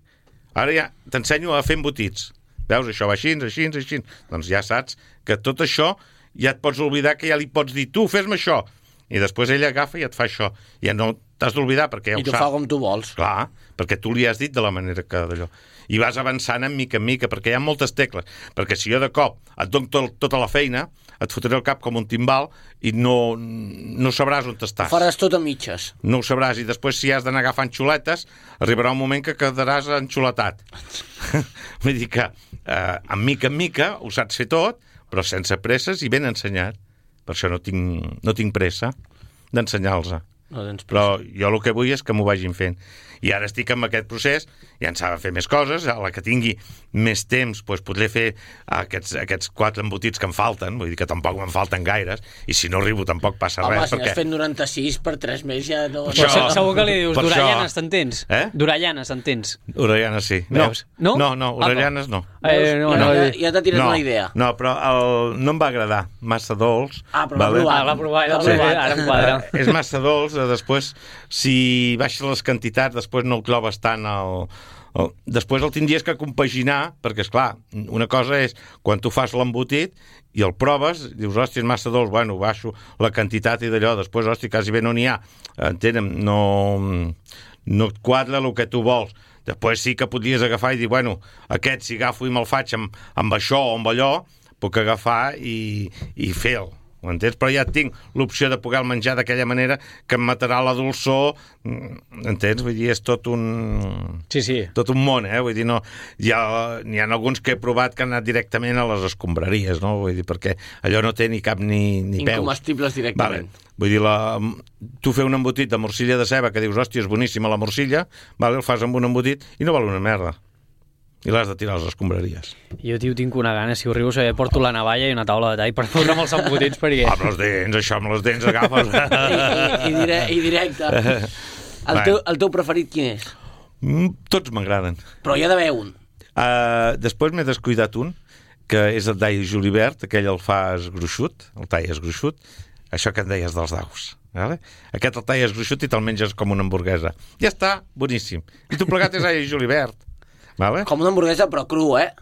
Ara ja t'ensenyo a fer embotits. Veus, això va així, així, així. Doncs ja saps que tot això ja et pots oblidar, que ja li pots dir, tu, fes-me això. I després ella agafa i et fa això. Ja no t'has d'oblidar, perquè ja ho sap. I t'ho fa com tu vols. Clar, perquè tu li has dit de la manera que d'allò. I vas avançant en mica en mica, perquè hi ha moltes tecles. Perquè si jo de cop et dono tot, tota la feina, et fotré el cap com un timbal i no, no sabràs on estàs. Ho faràs tot a mitges. No ho sabràs, i després si has d'anar agafant xuletes, arribarà un moment que quedaràs enxuletat. Vull dir que eh, en mica en mica ho saps fer tot, però sense presses i ben ensenyat. Per això no tinc, no tinc pressa d'ensenyar-los. No tens pressa. Però jo el que vull és que m'ho vagin fent. I ara estic en aquest procés, ja en saben fer més coses, a la que tingui més temps doncs podré fer aquests, aquests quatre embotits que em falten, vull dir que tampoc me'n falten gaires, i si no arribo tampoc passa Home, res. Home, si perquè... has fet noranta-sis per tres mesos ja no... Això... Però segur que li dius, per Dorallanes, això... t'entens? Eh? Dorallanes, t'entens? Dorallanes, sí. No, no, no, no Dorallanes no. Eh, no, no, ja, ja t'ha tirat no, una idea. No, però el... no em va agradar, massa dolç. Ah, però vale? l'ha provat. Ah, l'ha provat, l'ha provat, sí. Ara em quadra. És massa dolç, després, si baixes les quantitats, després no el trobes tant el... el... Després el tindries que compaginar, perquè, esclar, una cosa és quan tu fas l'embotit i el proves, dius, hòstia, és massa dolç, bueno, baixo la quantitat i d'allò, després, hòstia, quasi bé no n'hi ha, entenem, no, no et quadra el que tu vols. Després sí que podries agafar i dir, bueno, aquest si agafo i me'l faig amb, amb això o amb allò, puc agafar i, i fer-ho, ho entens? Però ja tinc l'opció de poder menjar d'aquella manera que em matarà la dolçor, entens? Vull dir, és tot un... Sí, sí. Tot un món, eh? Vull dir, no... Hi ha, n'hi ha alguns que he provat que han anat directament a les escombraries, no? Vull dir, perquè allò no té ni cap ni, ni peus. Incomestibles directament. Vale. Vull dir, la... tu fer un embotit de morcilla de ceba que dius, hòstia, és boníssima la morcilla, vale? El fas amb un embotit i no val una merda. I l'has de tirar a les escombraries. Jo, tio, tinc una gana, si ho rius, eh, porto la navalla i una taula de tall per fotre'm els embotits perquè... Amb les dents, això, amb les dents agafes... I, i, i, dire, i directe. El teu, el teu preferit quin és? Mm, tots m'agraden. Però hi ha d'haver un. Uh, després m'he descuidat un, que és el d'all julivert, aquell el fas gruixut, el talles gruixut, això que en deies dels daus. Vale? Aquest el talles gruixut i te'l menges com una hamburguesa. Ja està, boníssim. I tu plegat és all julivert. Vale? Com una hamburguesa, però cru, eh?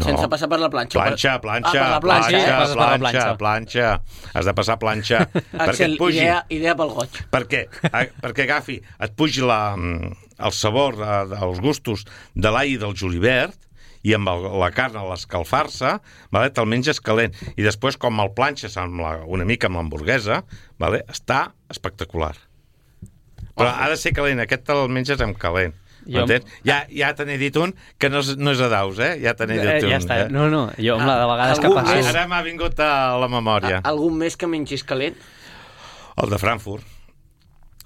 No. Sense passar per la planxa. Planxa, planxa, ah, per la planxa, planxa, eh? passes per la planxa, planxa. planxa. Has de passar planxa perquè Axel, et pugi. idea, idea pel goig. Per què? A, perquè agafi, et pugi la, el sabor, eh, els gustos de l'all i del julivert, i amb el, la carn a l'escalfar-se, vale, te'l menges calent. I després, com el planxes amb la, una mica amb l'hamburguesa, vale, està espectacular. Però ha de ser calent, aquest te'l menges amb calent. Jo... Ja, ja te n'he dit un que no és, no és a daus, eh? Ja te n'he dit un. Eh, ja està. Eh? No, no, jo amb la de vegades que Algú passo... més? Ara m'ha vingut a la memòria. A, algun més que mengis calent? El de Frankfurt.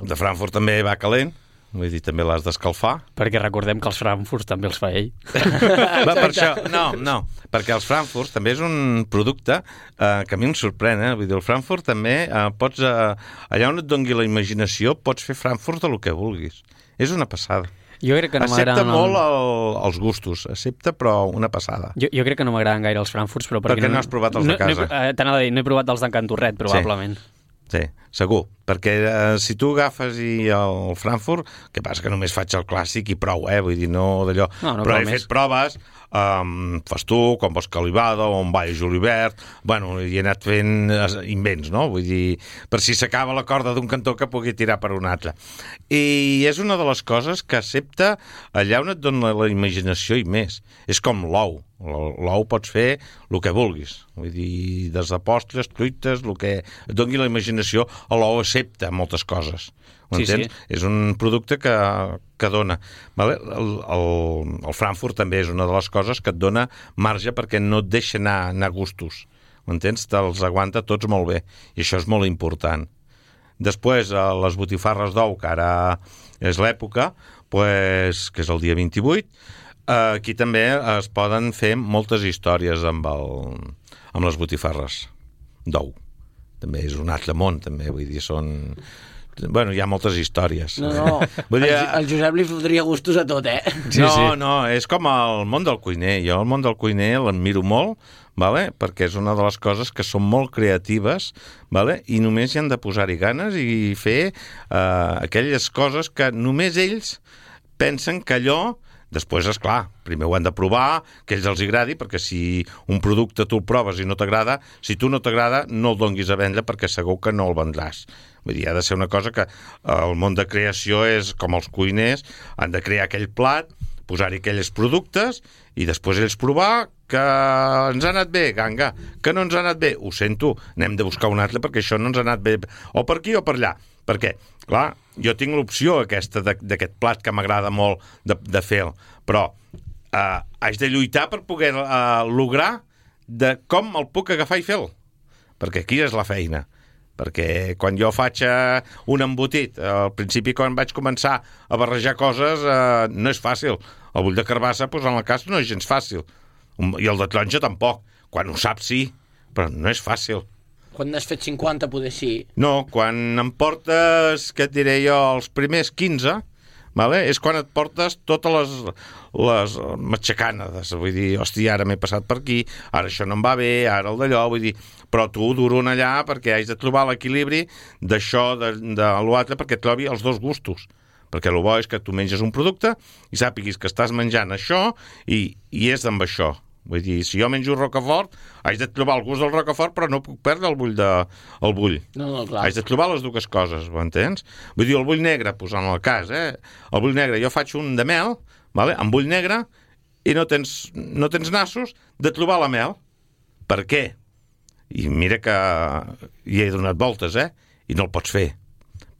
El de Frankfurt també va calent, vull dir, també l'has d'escalfar. Perquè recordem que els Frankfurts també els fa ell. Va, per això, no, no, perquè els Frankfurts també és un producte eh, que a mi em sorprèn, eh? Vull dir, el Frankfurt també eh, pots... Eh, allà on et doni la imaginació pots fer Frankfurt de lo que vulguis. És una passada. Jo crec que no Accepta m'agraden... molt el, els gustos, accepta, però una passada. Jo, jo crec que no m'agraden gaire els Frankfurts, però... Perquè no has provat els de casa. No, no, eh, t'anava a dir, no he provat els d'en Cantorret, probablement. Sí, segur, perquè eh, si tu agafes i el Frankfurt, que passa que només faig el clàssic i prou, eh? Vull dir, no d'allò... No, no, però he més. fet proves, um, fas tu, com vols calivada, o un ball julivert, bueno, i he anat fent invents, no? Vull dir, per si s'acaba la corda d'un cantó que pugui tirar per un altre. I és una de les coses que accepta allà on et dona la imaginació i més. És com l'ou. L'ou pots fer el que vulguis. Vull dir, des de postres, truites, el que et doni la imaginació, l'ou accepta moltes coses. Ho Sí, entens? sí. És un producte que, que dona. Vale? El, el, el Frankfurt també és una de les coses que et dona marge perquè no et deixa anar, anar a gustos. Ho entens? Te'ls aguanta tots molt bé. I això és molt important. Després, les botifarres d'ou, que ara és l'època, pues, que és el dia vint-i-vuit, aquí també es poden fer moltes històries amb, el, amb les botifarres d'ou. També és un altre món, també, vull dir, són... Bueno, hi ha moltes històries. No, no, Vull dir, el, el Josep li fotria gustos a tot, eh? Sí, no, sí. no, és com el món del cuiner. Jo el món del cuiner l'admiro molt, vale? Perquè és una de les coses que són molt creatives, vale? I només hi han de posar-hi ganes i fer uh, aquelles coses que només ells pensen que allò... Després, és clar, primer ho han de provar, que ells els agradi, perquè si un producte tu el proves i no t'agrada, si tu no t'agrada, no el donguis a vendre perquè segur que no el vendràs. Vull dir, ha de ser una cosa que el món de creació és com els cuiners, han de crear aquell plat, posar-hi aquells productes i després ells provar que ens ha anat bé, ganga, que no ens ha anat bé, ho sento, anem de buscar un altre perquè això no ens ha anat bé, o per aquí o per allà. Perquè, clar, jo tinc l'opció aquesta d'aquest plat que m'agrada molt de, de fer, però eh, haig de lluitar per poder eh, lograr de com el puc agafar i fer-lo. Perquè aquí és la feina. Perquè quan jo faig eh, un embotit, eh, al principi quan vaig començar a barrejar coses, eh, no és fàcil. El bull de carbassa, doncs, en el cas, no és gens fàcil. I el de taronja tampoc. Quan ho saps, sí, però no és fàcil. Quan n'has fet cinquanta, poder sí. No, quan em portes, què et diré jo, els primers quinze, vale? És quan et portes totes les, les matxacanes. Vull dir, hòstia, ara m'he passat per aquí, ara això no em va bé, ara el d'allò, vull dir... Però tu duro en allà perquè haig de trobar l'equilibri d'això, de, de l'altre, perquè trobi els dos gustos. Perquè el bo és que tu menges un producte i sàpiguis que estàs menjant això i, i és amb això. Vull dir, si jo menjo rocafort, haig de trobar el gust del rocafort, però no puc perdre el bull. De, el bull. No, no, clar. Haig de trobar les dues coses, ho entens? Vull dir, el bull negre, posant el cas, eh? El bull negre, jo faig un de mel, vale? Amb bull negre, i no tens, no tens nassos de trobar la mel. Per què? I mira que hi he donat voltes, eh? I no el pots fer.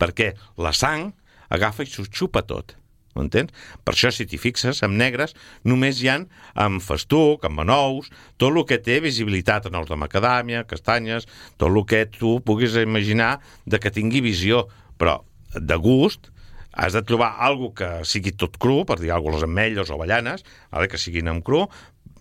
Perquè la sang agafa i s'ho xupa tot. Ho entens? Per això, si t'hi fixes, amb negres només hi ha amb festuc, amb anous, tot el que té visibilitat, anous de macadàmia, castanyes, tot el que tu puguis imaginar de que tingui visió, però de gust has de trobar alguna que sigui tot cru, per dir alguna cosa, les ametlles o avellanes, vale, que siguin amb cru,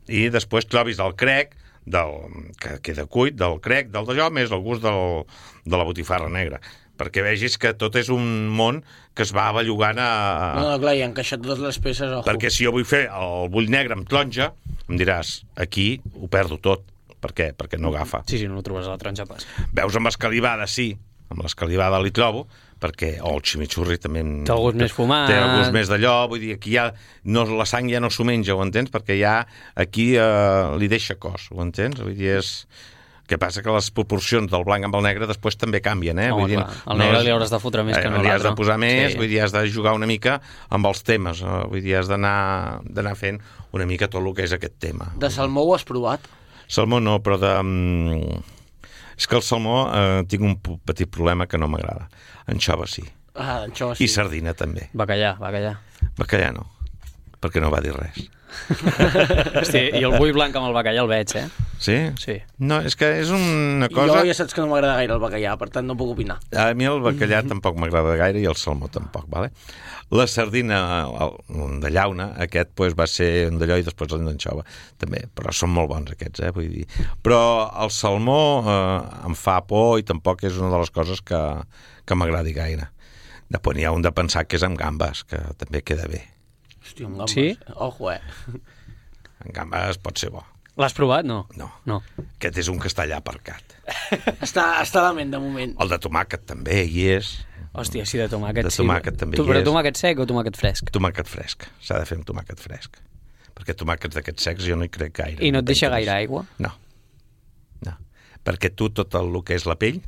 i després trobis el crec, del, que queda cuit, del crec, del d'allò, més el gust del, de la botifarra negra, perquè vegis que tot és un món que es va bellugant a... No, no, clar, i encaixat totes les peces, ojo. Perquè si jo vull fer el bull negre amb taronja, em diràs, aquí ho perdo tot. Per què? Perquè no agafa. Sí, sí, no ho trobes a la taronja pas. Veus amb escalivada, sí, amb l'escalivada li trobo, perquè o el chimichurri també... Té el gust més fumat. Té el gust més d'allò, vull dir, aquí ja no, la sang ja no s'ho menja, ho entens? Perquè ja aquí eh, li deixa cos, ho entens? Vull dir, és... que passa que les proporcions del blanc amb el negre després també canvien, eh? Home, vull dir, clar, el negre no és... li hauràs de fotre més eh, que no li has de l'altre. posar més, Sí. vull dir, has de jugar una mica amb els temes, eh? Vull dir, has d'anar d'anar fent una mica tot el que és aquest tema. De salmó ho has provat? Salmó no, però de... És que el salmó eh, tinc un petit problema que no m'agrada. Anxova sí. Ah, anxova sí. I sardina també. Bacallà, bacallà. Bacallà no, perquè no va dir res. Hosti, i el bull blanc amb el bacallà el veig, eh? Sí? Sí. No, és que és una cosa... Jo ja saps que no m'agrada gaire el bacallà, per tant no puc opinar. A mi el bacallà tampoc m'agrada gaire i el salmó tampoc, vale? La sardina el, de llauna, aquest pues, va ser un d'allò i després el d'anxova també, però són molt bons aquests, eh? Vull dir. Però el salmó eh, em fa por i tampoc és una de les coses que, que m'agradi gaire. Després n'hi ha un de pensar que és amb gambes, que també queda bé. Hòstia, amb gambes. Sí? Ojo, eh? En gambes pot ser bo. L'has provat? No. No. No. Aquest és un que està allà aparcat. Està, està a la ment, de moment. El de tomàquet també hi és. Hòstia, sí, de tomàquet, De sí. tomàquet també tu, hi però és. tomàquet sec o tomàquet fresc? Tomàquet fresc. S'ha de fer amb tomàquet fresc. Perquè tomàquets d'aquests secs jo no hi crec gaire. I no et tenc deixa temps. gaire aigua? No. No. Perquè tu tot el que és la pell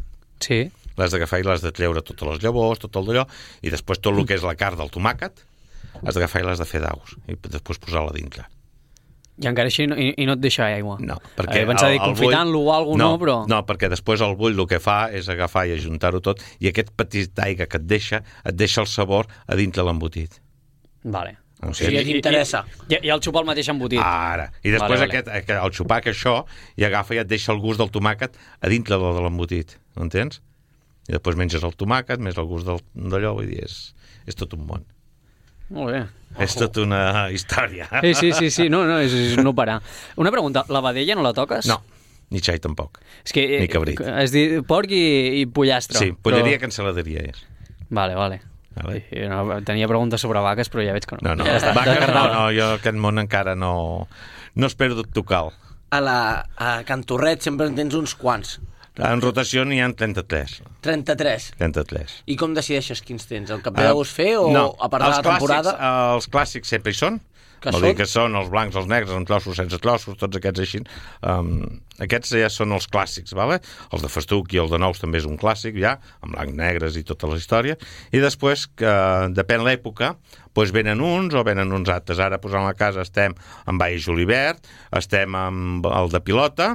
Sí. l'has d'agafar i l'has de treure totes les llavors, tot el d'allò, i després tot el que és la carn del tomàquet has d'agafar i l'has de fer daus i després posar-la dintre. I encara així no, i, i no et deixa aigua? No, perquè... He pensat dir confitant-lo o alguna no, no, però... No, perquè després el bull el que fa és agafar i ajuntar-ho tot i aquest petit d'aigua que et deixa, et deixa el sabor a dintre l'embotit. Vale. O Sí, ja t'interessa. I, I el xupar el mateix embotit. Ara. I després Vale, vale. aquest, el xupar que això i agafa i et deixa el gust del tomàquet a dintre de, de l'embotit. Ho entens? I després menges el tomàquet, més el gust del, d'allò, vull dir, és, és tot un món. Molt bé. És tota una història. Sí, sí, sí, sí. No, no, és, és no parar. Una pregunta, la vedella no la toques? No, ni xai tampoc. És que, Ni cabrit. Has dit porc i, i pollastre. Sí, polleria però... cancel·laderia és. Vale, vale. Vale. Sí, no, tenia preguntes sobre vaques, però ja veig que no. No, no, Ja està, vaques no, descartada. no, jo aquest món encara no... No espero tocar-lo. A, la, a Can Torret sempre en tens uns quants. En rotació n'hi ha trenta-tres. trenta-tres. trenta-tres. I com decideixes quins tens? El que ve de gust fer o no, a part de els la temporada? Clàssics, els clàssics sempre hi són. Que Vol són? dir que són els blancs, els negres, amb trossos, sense trossos, tots aquests així. Um, aquests ja són els clàssics, vale? Els de festuc i el de nous també és un clàssic, ja, amb blancs, negres i tota la història. I després, que depèn l'època, doncs venen uns o venen uns altres. Ara, posant a la casa, estem amb Baix Julivert, estem amb el de pilota,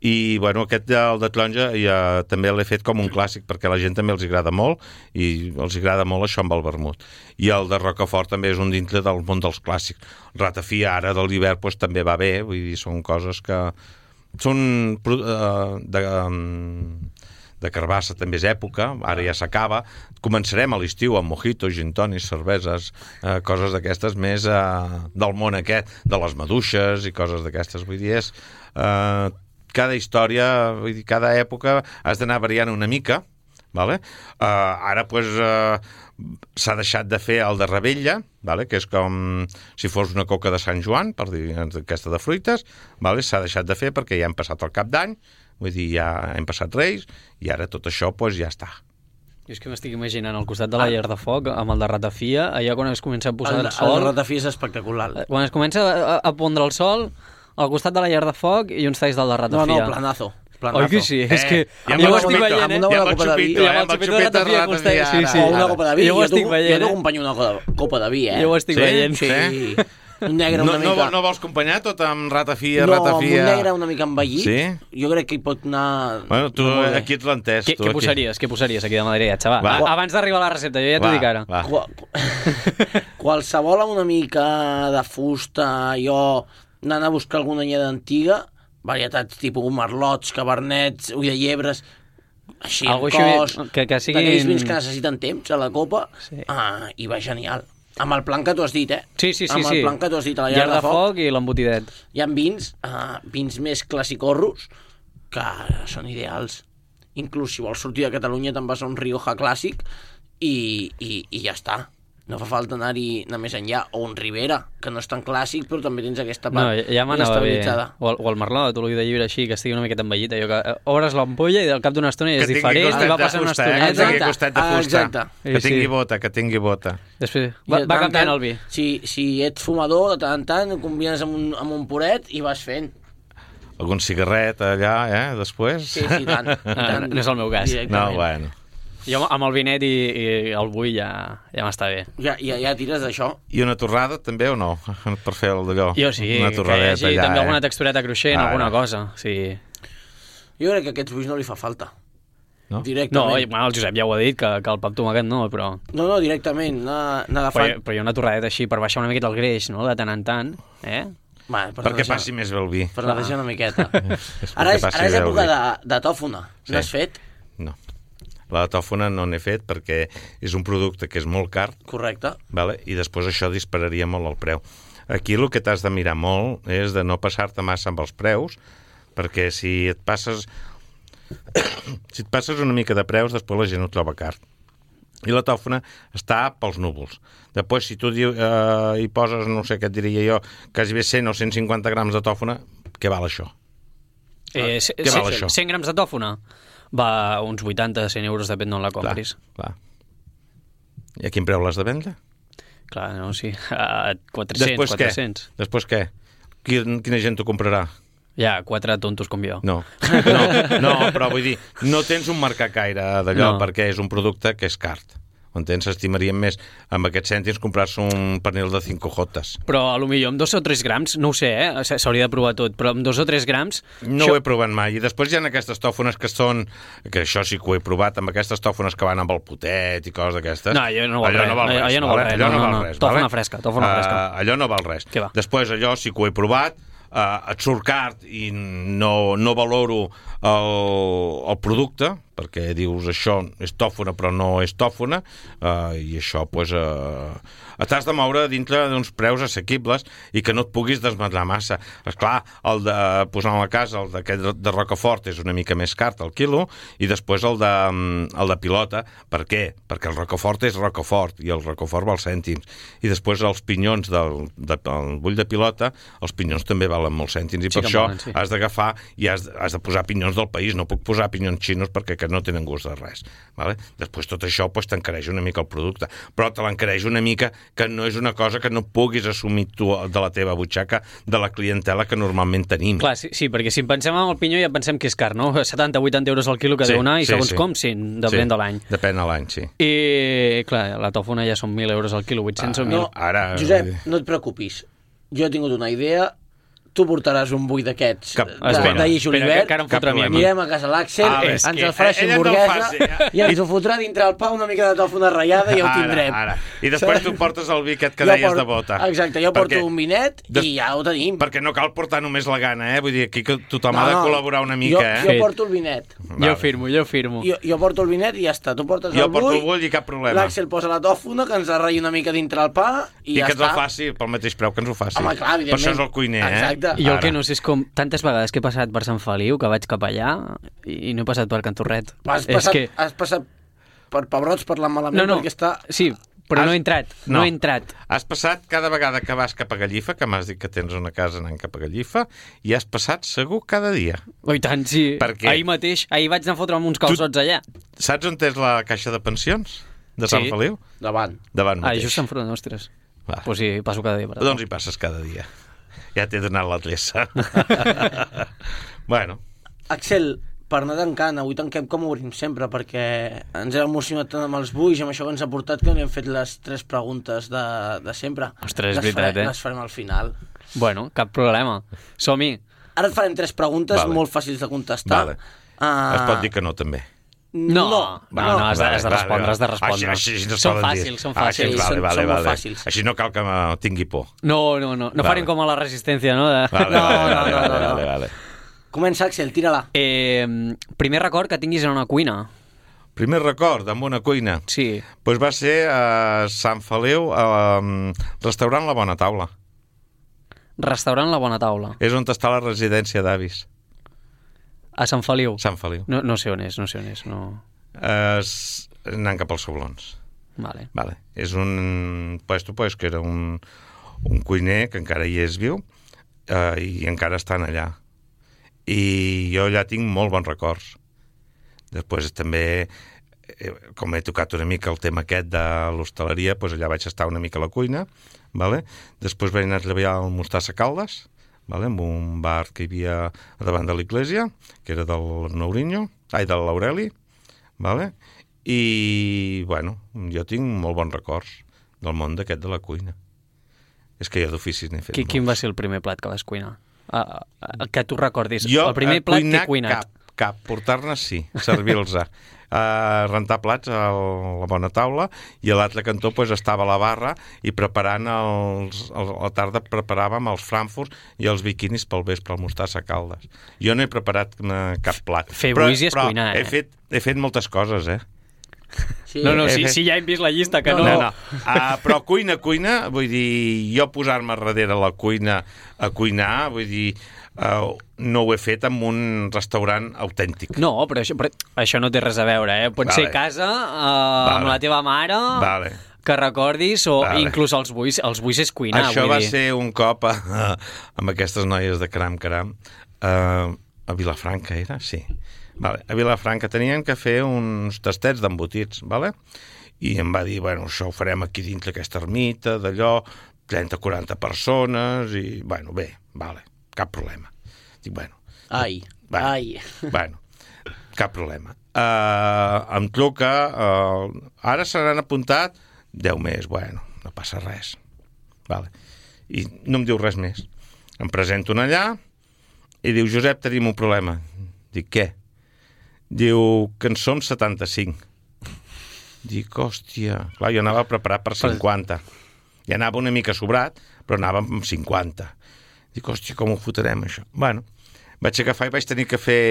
i bueno, aquest del de taronja ja, també l'he fet com un clàssic perquè a la gent també els agrada molt i els agrada molt això amb el vermut. I el de Rocafort també és un dintre del món dels clàssics. Ratafia ara de l'hivern pues, també va bé, vull dir, són coses que són uh, de, um, de carbassa també és època, ara ja s'acaba. Començarem a l'estiu amb mojitos, gin tònics, cerveses, uh, coses d'aquestes més uh, del món aquest, de les maduixes i coses d'aquestes, vull dir, és... Uh, cada història, vull dir, cada època has d'anar variant una mica, vale? Uh, ara pues, uh, s'ha deixat de fer el de Rebella, vale? Que és com si fos una coca de Sant Joan, per dir aquesta de fruites, vale? S'ha deixat de fer perquè ja hem passat el cap d'any, vull dir, ja hem passat Reis, i ara tot això pues, ja està. Jo és que m'estic imaginant al costat de la llar de foc, amb el de ratafia, allà quan es comença a posar el, el, sol... el ratafia és espectacular. Quan es comença a, a pondre el sol, al costat de la llar de foc i uns talls del de No, ratafia. no, planazo. planazo. Oi que sí? És que ja jo ho amb el estic xupito, veient, eh? amb una Ja bona amb el copa de vi. xupito, Ja eh? amb Amb el el xupito de xupito de ratafia costat, ratafia, sí, sí. O ara. una copa de vi. Jo ho estic t'ho- veient, Jo eh? t'acompanyo una, co- copa de vi, eh? Jo ho estic Sí? veient. Sí. Sí? un negre no, una mica... No, no vols acompanyar tot amb ratafia, no, ratafia... No, amb un negre una mica envellit. Sí? Jo crec que hi pot anar... Bueno, tu aquí ets l'entès. Què, tu què aquí. posaries? Què posaries aquí de madriatge? Va, Va. va. Abans d'arribar a la recepta, jo ja t'ho dic ara. Va. Qual, qualsevol amb una mica de fusta, jo anant a buscar alguna anyada antiga, varietats tipus merlots, cabernets, ull de llebres, així Algo en així cos, que- que siguin- d'aquells vins que necessiten temps a la copa, Sí. ah, i va genial. Amb el plan que tu has dit, eh? Sí, sí, sí. Amb sí. el plan que tu has dit a la llar llar de foc i l'embotidet. Hi ha vins, uh, vins més classicorros, que són ideals. Inclús si vols sortir de Catalunya te'n vas a un Rioja clàssic i, i, i ja està. No fa falta anar-hi anar més enllà. O un Ribera, que no és tan clàssic, però també tens aquesta No, part ja, ja m'anava bé. estabilitzada. O el, o el merlot, o l'ull de llibre així, que estigui una miqueta envellit. Allò que eh, obres l'ampolla i al cap d'una estona ja Que és tingui diferent costat i va de passant una fusta, eh? estoneta. Que tingui Exacte. costat de Ah, fusta. exacte. Que Sí, tingui sí. bota, que tingui bota. Després I va, de va tant en cantant tant, el vi. Si, si ets fumador, de tant en tant ho combines amb un, amb un puret i vas fent. Algun cigarret allà, eh, després? Sí, sí, tant. i Ah, tant. no és el meu cas. No, Directament. bueno. Jo amb el vinet i, i el bull ja, ja m'està bé. Ja, ja, ja tires d'això. I una torrada també o no? Per fer el d'allò. Jo sí, una que hi torradeta hagi allà, també eh? alguna textureta cruixent, Ah, alguna no. cosa. Sí. Jo crec que a aquests buis no li fa falta. No? No, Directament. i, bueno, el Josep ja ho ha dit, que, que el pa amb tomàquet no, però... No, no, directament, anar, anar Però, agafant... però hi ha una torradeta així per baixar una miqueta el greix, no?, de tant en tant, eh? Va, per Perquè netejar- passi més bé el vi. Per netejar una miqueta. És Ara perquè és, passi ara és bé el època vi. de, de tòfona. Sí. N'has fet? No. La tòfona no n'he fet perquè és un producte que és molt car, Correcte. vale? I després això dispararia molt el preu. Aquí el que t'has de mirar molt és de no passar-te massa amb els preus, perquè si et passes si et passes una mica de preus, després la gent ho troba car. I la tòfona està pels núvols. Després, si tu diu, eh, hi poses, no sé què et diria jo, quasi bé cent o cent cinquanta grams de tòfona, què val això? eh c- què c- val això? cent grams de tòfona? Va uns vuitanta a cent euros, depèn d'on la compris. Clar, clar. I a quin preu l'has de vendre? Clar, no, sí. A quatre-cents, Després quatre-cents. què? Després què? Quin, quina gent t'ho comprarà? Ja, quatre tontos com jo. No. no, no, però vull dir, no tens un mercat gaire d'allò, No. perquè és un producte que és car. Entens? S'estimarien més amb aquests cèntims comprar-se un pernil de cinc jotes. Però a lo millor amb dos o tres grams, no ho sé, eh? S- s'hauria de provar tot, però amb dos o tres grams... No ho he provat mai. I després hi ha aquestes tòfones que són... Que això sí que ho he provat, amb aquestes tòfones que van amb el potet i coses d'aquestes. No, allò no val allò res. No val res, Allò no val vale? res. Allò No, no no, val no. res. Tòfona vale? fresca, tòfona Uh, fresca. Allò no val res. Què va? Després allò sí que ho he provat, uh, et surt car i no, no valoro el, el producte, perquè dius això és tòfona però no és tòfona, uh, i això pues, uh, t'has de moure dintre d'uns preus assequibles i que no et puguis desmadrar massa. Esclar, el de posar a la casa, el d'aquest de Rocafort és una mica més car al quilo, i després el de, el de pilota. Per què? Perquè el Rocafort és Rocafort i el Rocafort val cèntims. I després els pinyons del, de, del bull de pilota, els pinyons també valen molts cèntims, i Sí per que això valen, sí. has d'agafar i has, has de posar pinyons del país. No puc posar pinyons xinos perquè que no tenen gust de res. Vale? Després tot això pues, t'encareix una mica el producte, però te l'encareix una mica que no és una cosa que no puguis assumir tu de la teva butxaca, de la clientela que normalment tenim. Clar, sí, sí, perquè si pensem en el pinyó ja pensem que és car, no? setanta a vuitanta euros al quilo que Sí, deu anar, i sí, segons sí. com, sí, depèn Sí, de l'any. Depèn de l'any, sí. I, clar, la tòfona ja són mil euros al quilo, vuit-cents o mil. No, Ara- Josep, no et preocupis. Jo he tingut una idea. Tu portaràs un bull d'aquests Cap- de, espera, de guix espera, julivert. que encara em Cap fotrà a mi. problema. Anirem a casa l'Àxel, Ah, bé, ens és que el farà ella no hamburguesa fa, ja. i ens ho fotrà dintre el pa una mica de tòfona ratllada i ja ho tindrem. Ara, ara. I després tu portes el vi aquest que Jo deies porto- de bota. Exacte, jo porto Perquè- un vinet Des- i ja ho tenim. Perquè no cal portar només la gana, eh? Vull dir, aquí que tothom No, ha de no, col·laborar una jo, mica, eh? Jo Fet. porto el vinet. Jo firmo, jo firmo. Jo, jo porto el vinet i ja està. Tu portes Jo el porto el bull, bull i cap problema. l'Àxel posa la tòfona, que ens la ratlla una mica dintre el pa i, I ja que ens està. el faci pel mateix preu que ens ho faci. Home, clar, per evidentment. això és el cuiner, eh? Exacte. I jo el Ara. que no sé és com tantes vegades que he passat per Sant Feliu, que vaig cap allà i no he passat per Can Torret. Has És passat, que... has passat per pebrots parlant malament No, no, perquè està... sí, però Has- no he entrat, no. No. he entrat. Has passat cada vegada que vas cap a Gallifa, que m'has dit que tens una casa anant cap a Gallifa, i has passat segur cada dia. Oh, i tant, sí. Per què? Ahir mateix, ahir vaig anar a fotre'm uns calçots allà. Saps on és la caixa de pensions de Sí. Sant Feliu? Davant. Davant Ah, mateix. just enfront, ostres. Va. Pues sí, passo cada dia per allà. Doncs hi passes cada dia. Ja t'he donat l'adreça. Bueno, Axel, per anar tancant, avui tanquem com obrim sempre, perquè ens hem emocionat tant amb els buis i amb això que ens ha portat que no hem fet les tres preguntes de, de sempre. Ostres, és les veritat, farem, eh? Les farem al final. Bueno, cap problema. Som-hi. Ara et farem tres preguntes Vale. molt fàcils de contestar. Vale. Uh, Es pot dir que no, també. No, no, no, no has, de, has de Vale, respondre, vale. has de respondre. Així, així no es són poden fàcils, dir. són Ah, així, fàcils. Sí, vale, són- vale, són molt vale. fàcils. Així no cal que me tingui por. No, no, no. No Vale. farem com a la resistència, no? De... Vale, No, vale, no, vale, no, vale, no, vale, no. vale. Comença, Axel, tira-la. Eh, primer record que tinguis en una cuina. Primer record amb una cuina. Sí. Pues va ser a Sant Feliu, a restaurant La Bona Taula. Restaurant La Bona Taula. És on està la residència d'avis. A Sant Feliu. Sant Feliu. No, no sé on és, no sé on és. No... Es... Anant cap als Soblons. Vale. Vale. És un puesto pues, que era un, un cuiner que encara hi és viu eh, i encara estan allà. I jo allà tinc molt bons records. Després també, eh, com he tocat una mica el tema aquest de l'hostaleria, pues allà vaig estar una mica a la cuina. Vale? Després vaig anar a treballar al Mostassa Caldes, vale? En un bar que hi havia a davant de l'església, que era del Nourinho, ai, de l'Aureli. Vale? I, bueno, jo tinc molt bons records del món d'aquest de la cuina. És que jo d'oficis n'he fet Qui, quin molts. va ser el primer plat que vas cuinar? Uh, uh, que tu recordis. Jo, el primer a plat que cuinar he cuinat. cap, cap. Portar-ne sí, servir-los. Uh, rentar plats a la Bona Taula i a l'altre cantó pues, estava a la barra i preparant els, el, a la tarda preparàvem els frankfurts i els biquinis pel vespre al Mostassa Caldes. Jo no he preparat uh, cap plat. Fer però, buis i és però cuinar, eh? he fet, he fet moltes coses, eh? Sí. No, no, he si, fet- si ja hem vist la llista, que no... No, no. Uh, però cuina, cuina, vull dir, jo posar-me darrere la cuina a cuinar, vull dir, uh, no ho he fet en un restaurant autèntic. No, però això, però això no té res a veure, eh? Pot Vale. ser a casa, uh, Vale. amb la teva mare, Vale. que recordis, o Vale. inclús els buis. Els buis és cuinar, Això vull va dir. ser un cop a, a, amb aquestes noies de Caram Caram, uh, a Vilafranca era? Sí. Vale. A Vilafranca tenien que fer uns tastets d'embotits, vale? I em va dir, bueno, això ho farem aquí dins d'aquesta ermita, d'allò, trenta o quaranta persones, i, bueno, bé, vale, cap problema. Dic, bueno... Ai, bueno, ai. Bueno, cap problema. Uh, em truca, uh, ara se n'han apuntat deu més, bueno, no passa res. Vale. I no em diu res més. Em presento allà i diu, Josep, tenim un problema. Dic, què? Diu que en som setanta-cinc. Dic, hòstia... Clar, jo anava preparat per cinquanta. Ja anava una mica sobrat, però anava amb cinquanta. Dic, hòstia, com ho fotrem, això? Bueno, vaig agafar i vaig tenir que fer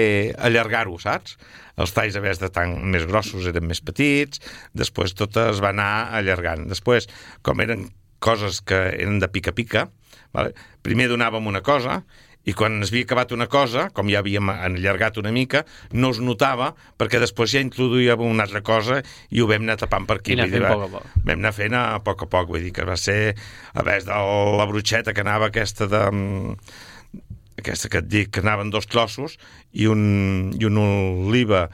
allargar-ho, saps? Els talls, a vegades de tan més grossos, eren més petits, després tot es va anar allargant. Després, com eren coses que eren de pica-pica, vale? Primer donàvem una cosa, i quan es havia acabat una cosa, com ja havíem allargat una mica, no es notava, perquè després ja introduïem una altra cosa i ho vam anar tapant per aquí. I anar Vull dir, fent va- poc a poc. Vam anar fent a poc a poc, vull dir que va ser, a vegades de la brutxeta que anava aquesta de... aquesta que et dic, que anaven dos trossos i un, i una oliva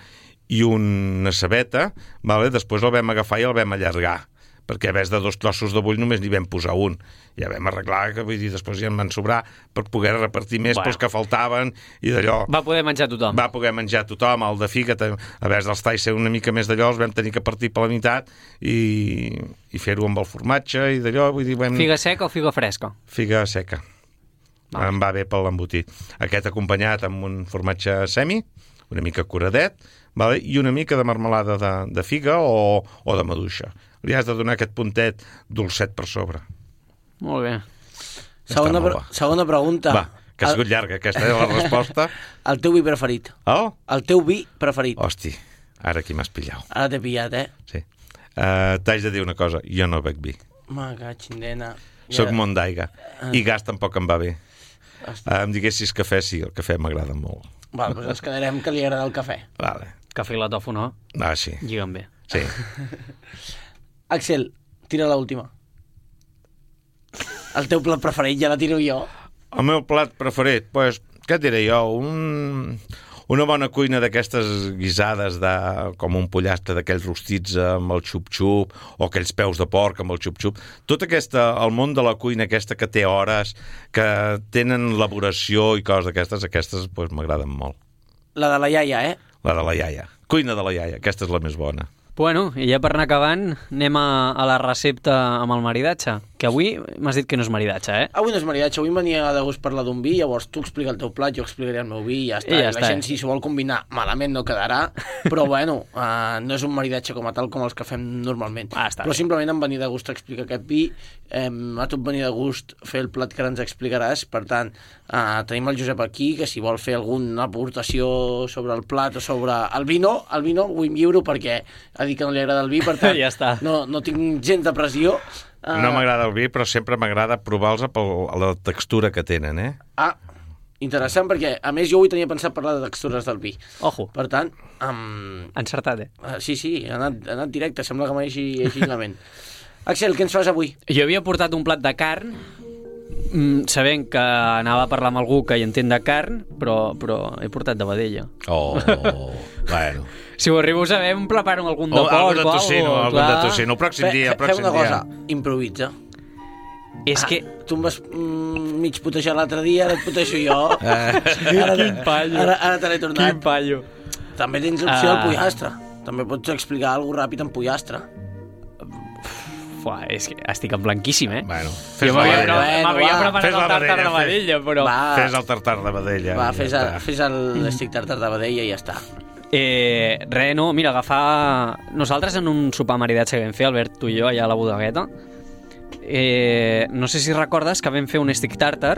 i una cebeta, vale? Després el vam agafar i el vam allargar, perquè a vegades de dos trossos de bull només n'hi vam posar un. Ja vam arreglar, que vull dir, després ja en van sobrar per poder repartir més Bueno. pels que faltaven i d'allò. Va poder menjar tothom. Va poder menjar tothom, el de figa, a vegades dels talls ser una mica més d'allò, els vam tenir que partir per la meitat i, i fer-ho amb el formatge i d'allò, vull dir, vam... Figa seca o figa fresca? Figa seca. Vale. Em va bé per l'embotit. Aquest acompanyat amb un formatge semi, una mica curadet, vale? I una mica de marmelada de, de figa o, o de maduixa. Li has de donar aquest puntet dolcet per sobre. Molt bé. Segona, molt pre bo. segona pregunta. Va, que ha sigut llarga, aquesta és la resposta. El teu vi preferit. Oh? El teu vi preferit. Hosti, ara aquí m'has pillat. Ara t'he pillat, eh? Sí. Uh, T'haig de dir una cosa, jo no bec vi. Ma catxindena. Soc món d'aigua. I gas tampoc em va bé. Hosti. Uh, em diguessis cafè, sí, el cafè m'agrada molt. Val, doncs ens quedarem que li agrada el cafè. Vale. Cafè i la tofu no, Ah, sí. lliguen bé. Sí. Axel, tira l'última. El teu plat preferit ja la tiro jo. El meu plat preferit, pues, què et diré jo? Un, una bona cuina d'aquestes guisades de, com un pollastre d'aquells rostits amb el xup-xup o aquells peus de porc amb el xup-xup. Tot aquesta, el món de la cuina aquesta que té hores, que tenen elaboració i coses d'aquestes, aquestes pues, m'agraden molt. La de la iaia, eh? La de la iaia. Cuina de la iaia, aquesta és la més bona. Bueno, i ja per anar acabant, anem a, a la recepta amb el maridatge, que avui m'has dit que no és maridatge, eh? Avui no és maridatge, avui em venia de gust parlar d'un vi, llavors tu explica el teu plat, jo explicaré el meu vi i ja està. I ja I la està. gent, si s'ho vol combinar, malament no quedarà, però bueno, uh, no és un maridatge com a tal com els que fem normalment. Ah, està però bé. simplement em venia de gust explicar aquest vi, eh, a tu et venia de gust fer el plat que ara ens explicaràs, per tant, uh, tenim el Josep aquí, que si vol fer alguna aportació sobre el plat o sobre el vi no, el vi no, vull lliuro perquè ha dit que no li agrada el vi, per tant, Ja està. no, no tinc gens de pressió. Uh, No m'agrada el vi, però sempre m'agrada provar-los per la textura que tenen, eh? Ah, interessant, perquè a més jo avui tenia pensat parlar de textures del vi. Ojo, Per tant, um, encertat, eh? uh, sí, sí, ha anat, ha anat directe, sembla que m'ha així la ment. Axel, què ens fas avui? Jo havia portat un plat de carn, mm, sabent que anava a parlar amb algú que hi entén de carn, però, però he portat de vedella. Oh, bueno. Si ho arribo a saber, em preparo algun de O porc algun de o tocino, algo, algun de clar. tocino. El pròxim Fe, dia, el fe, fem pròxim una dia. cosa, improvisa. És que... Ah, tu em vas mm, mig putejar l'altre dia, ara et puteixo jo. Eh. Ara, Quin pallo. Ara, ara te l'he Quin tornat. pallo. També tens l'opció Ah. del pollastre. També pots explicar alguna ràpid en pollastre. Fuà, és que estic en blanquíssim, eh? Bueno, Jo fes la m'havia vedella. Bueno, m'havia va. preparat Fes la el tartar vedella, de fes. vedella, però... Va, Fes el tartar de vedella. va, i fes, ja el, està. fes el l'estic tartar de vedella i ja està. Eh, res, no, mira, agafar... Nosaltres en un sopar maridatge que vam fer, Albert, tu i jo, allà a la bodegueta, eh, no sé si recordes que vam fer un stick tartar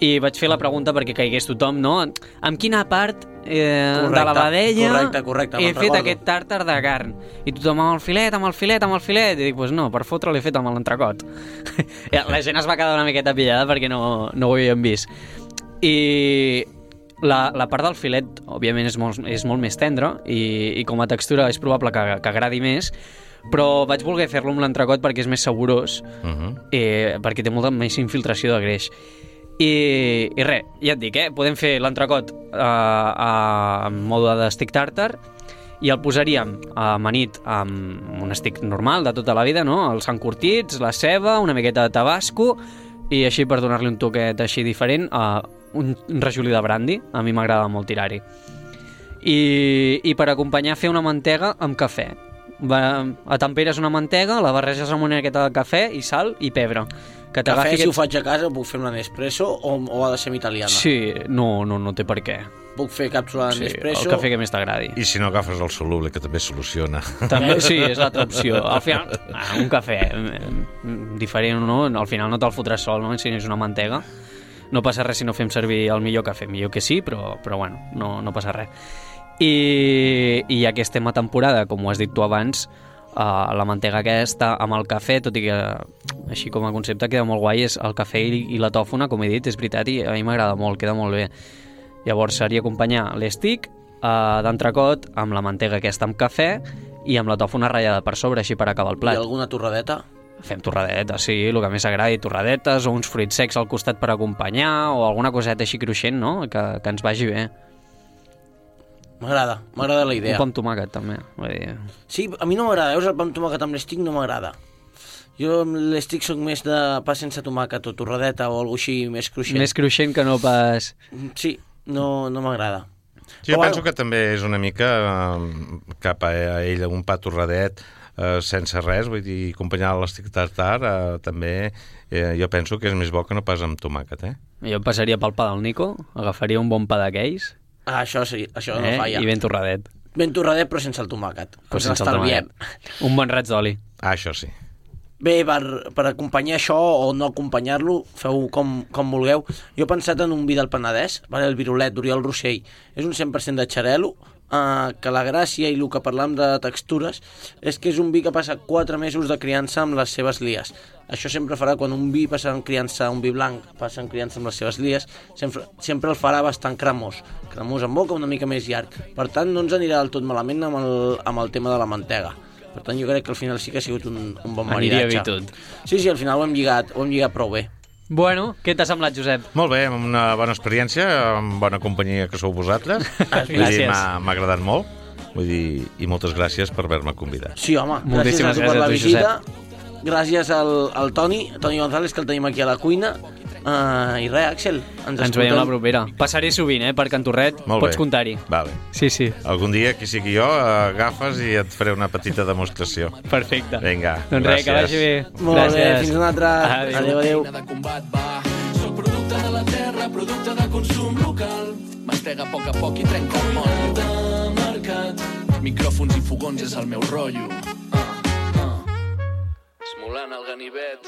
i vaig fer la pregunta perquè caigués tothom, no? Amb quina part eh, Correcte, de la vedella correcte, correcte, he me'n fet recordo. aquest tàrtar de carn? I tothom amb el filet, amb el filet, amb el filet. I dic, pues no, per fotre l'he fet amb l'entrecot. La gent es va quedar una miqueta pillada perquè no, no ho havíem vist. I la, la part del filet, òbviament, és molt, és molt més tendra i, i com a textura és probable que, que agradi més, però vaig voler fer-lo amb l'entrecot perquè és més saborós, Uh -huh. eh, perquè té molta més infiltració de greix. I, i res, ja et dic, eh? Podem fer l'entrecot eh, a, en mode de stick tartar i el posaríem amanit amb un stick normal de tota la vida, no? Els encurtits, la ceba, una miqueta de tabasco i així per donar-li un toquet així diferent, eh, un rajolí de brandy, a mi m'agrada molt tirar-hi. I, I per acompanyar fer una mantega amb cafè. Va, atemperes una mantega, la barreges amb una miqueta de cafè i sal i pebre. Que Cafè, t'agafi si ho aquest- faig a casa, puc fer una Nespresso o, o ha de ser italiana? Sí, no, no, no té per què. Puc fer càpsula de Sí, Nespresso? el cafè que més t'agradi. I si no agafes el soluble, que també soluciona. També, sí, és l'altra opció. Al final, ah, un cafè eh, diferent o no, al final no te'l fotràs sol, no? Si és una mantega. No passa res si no fem servir el millor cafè. Millor que sí, però, però bueno, no, no passa res. I, I ja que estem a temporada, com ho has dit tu abans, uh, la mantega aquesta amb el cafè, tot i que així com a concepte queda molt guai, és el cafè i, i la tòfona, com he dit, és veritat, i a mi m'agrada molt, queda molt bé. Llavors seria acompanyar l'estic uh, d'entrecot amb la mantega aquesta amb cafè i amb la tòfona ratllada per sobre, així per acabar el I plat. alguna torradeta? Fem torradetes, sí, el que més agradi, torradetes o uns fruits secs al costat per acompanyar o alguna coseta així cruixent, no?, que, que ens vagi bé. M'agrada, m'agrada la idea. Un pa amb tomàquet, també. Vull dir... Sí, a mi no m'agrada, veus, el pa amb tomàquet amb l'estic no m'agrada. Jo amb l'estic soc més de pa sense tomàquet o torradeta o alguna així més cruixent. Més cruixent que no pas... Sí, no, no m'agrada. Jo Però penso bueno. que també és una mica eh, cap a ell un pa torradet eh, sense res, vull dir, acompanyar l'estic tartar eh, també eh, jo penso que és més bo que no pas amb tomàquet, eh? Jo em passaria pel pa del Nico, agafaria un bon pa d'aquells, Ah, això sí, això no eh? falla. I ben torradet. Ben torradet, però sense el tomàquet. Però Ens sense el l'estalviem. tomàquet. Un bon raig d'oli. Ah, això sí. Bé, per, per acompanyar això o no acompanyar-lo, feu com, com vulgueu. Jo he pensat en un vi del Penedès, vale, el Virolet d'Oriol Rossell. És un cent per cent de xarel·lo, eh, que la gràcia i el que parlam de textures és que és un vi que passa quatre mesos de criança amb les seves lies. Això sempre farà, quan un vi passa en criança, un vi blanc passa en criança amb les seves lies, sempre, sempre el farà bastant cremós. Cremós en boca, una mica més llarg. Per tant, no ens anirà del tot malament amb el, amb el tema de la mantega. Per tant, jo crec que al final sí que ha sigut un, un bon Aniria maridatge. bé tot. Sí, sí, al final ho hem lligat, ho hem lligat prou bé. Bueno, què t'ha semblat, Josep? Molt bé, amb una bona experiència, amb bona companyia que sou vosaltres. Vull dir, Gràcies. m'ha m'ha agradat molt. Vull dir, i moltes gràcies per haver-me convidat. Sí, home, Moltíssimes gràcies a tu per la gràcies a tu, visita. Gràcies al, al Toni, Toni González, que el tenim aquí a la cuina. Uh, I res, Àxel, ens, Ens veiem la propera. Passaré sovint, eh, per Cantorret. Molt Pots bé. comptar-hi. Vale. Sí, sí. Algun dia, qui sigui jo, agafes i et faré una petita demostració. Perfecte. Vinga, doncs res, que vagi bé. Molt Gràcies. bé, fins una altra. Adéu. Adéu, adéu. De combat va. Soc producte de la terra, producte de consum local. Mastega a poc a poc i trenca el motllo. De mercat. Micròfons i fogons és el meu rotllo. Uh, uh. Esmolant el ganivet.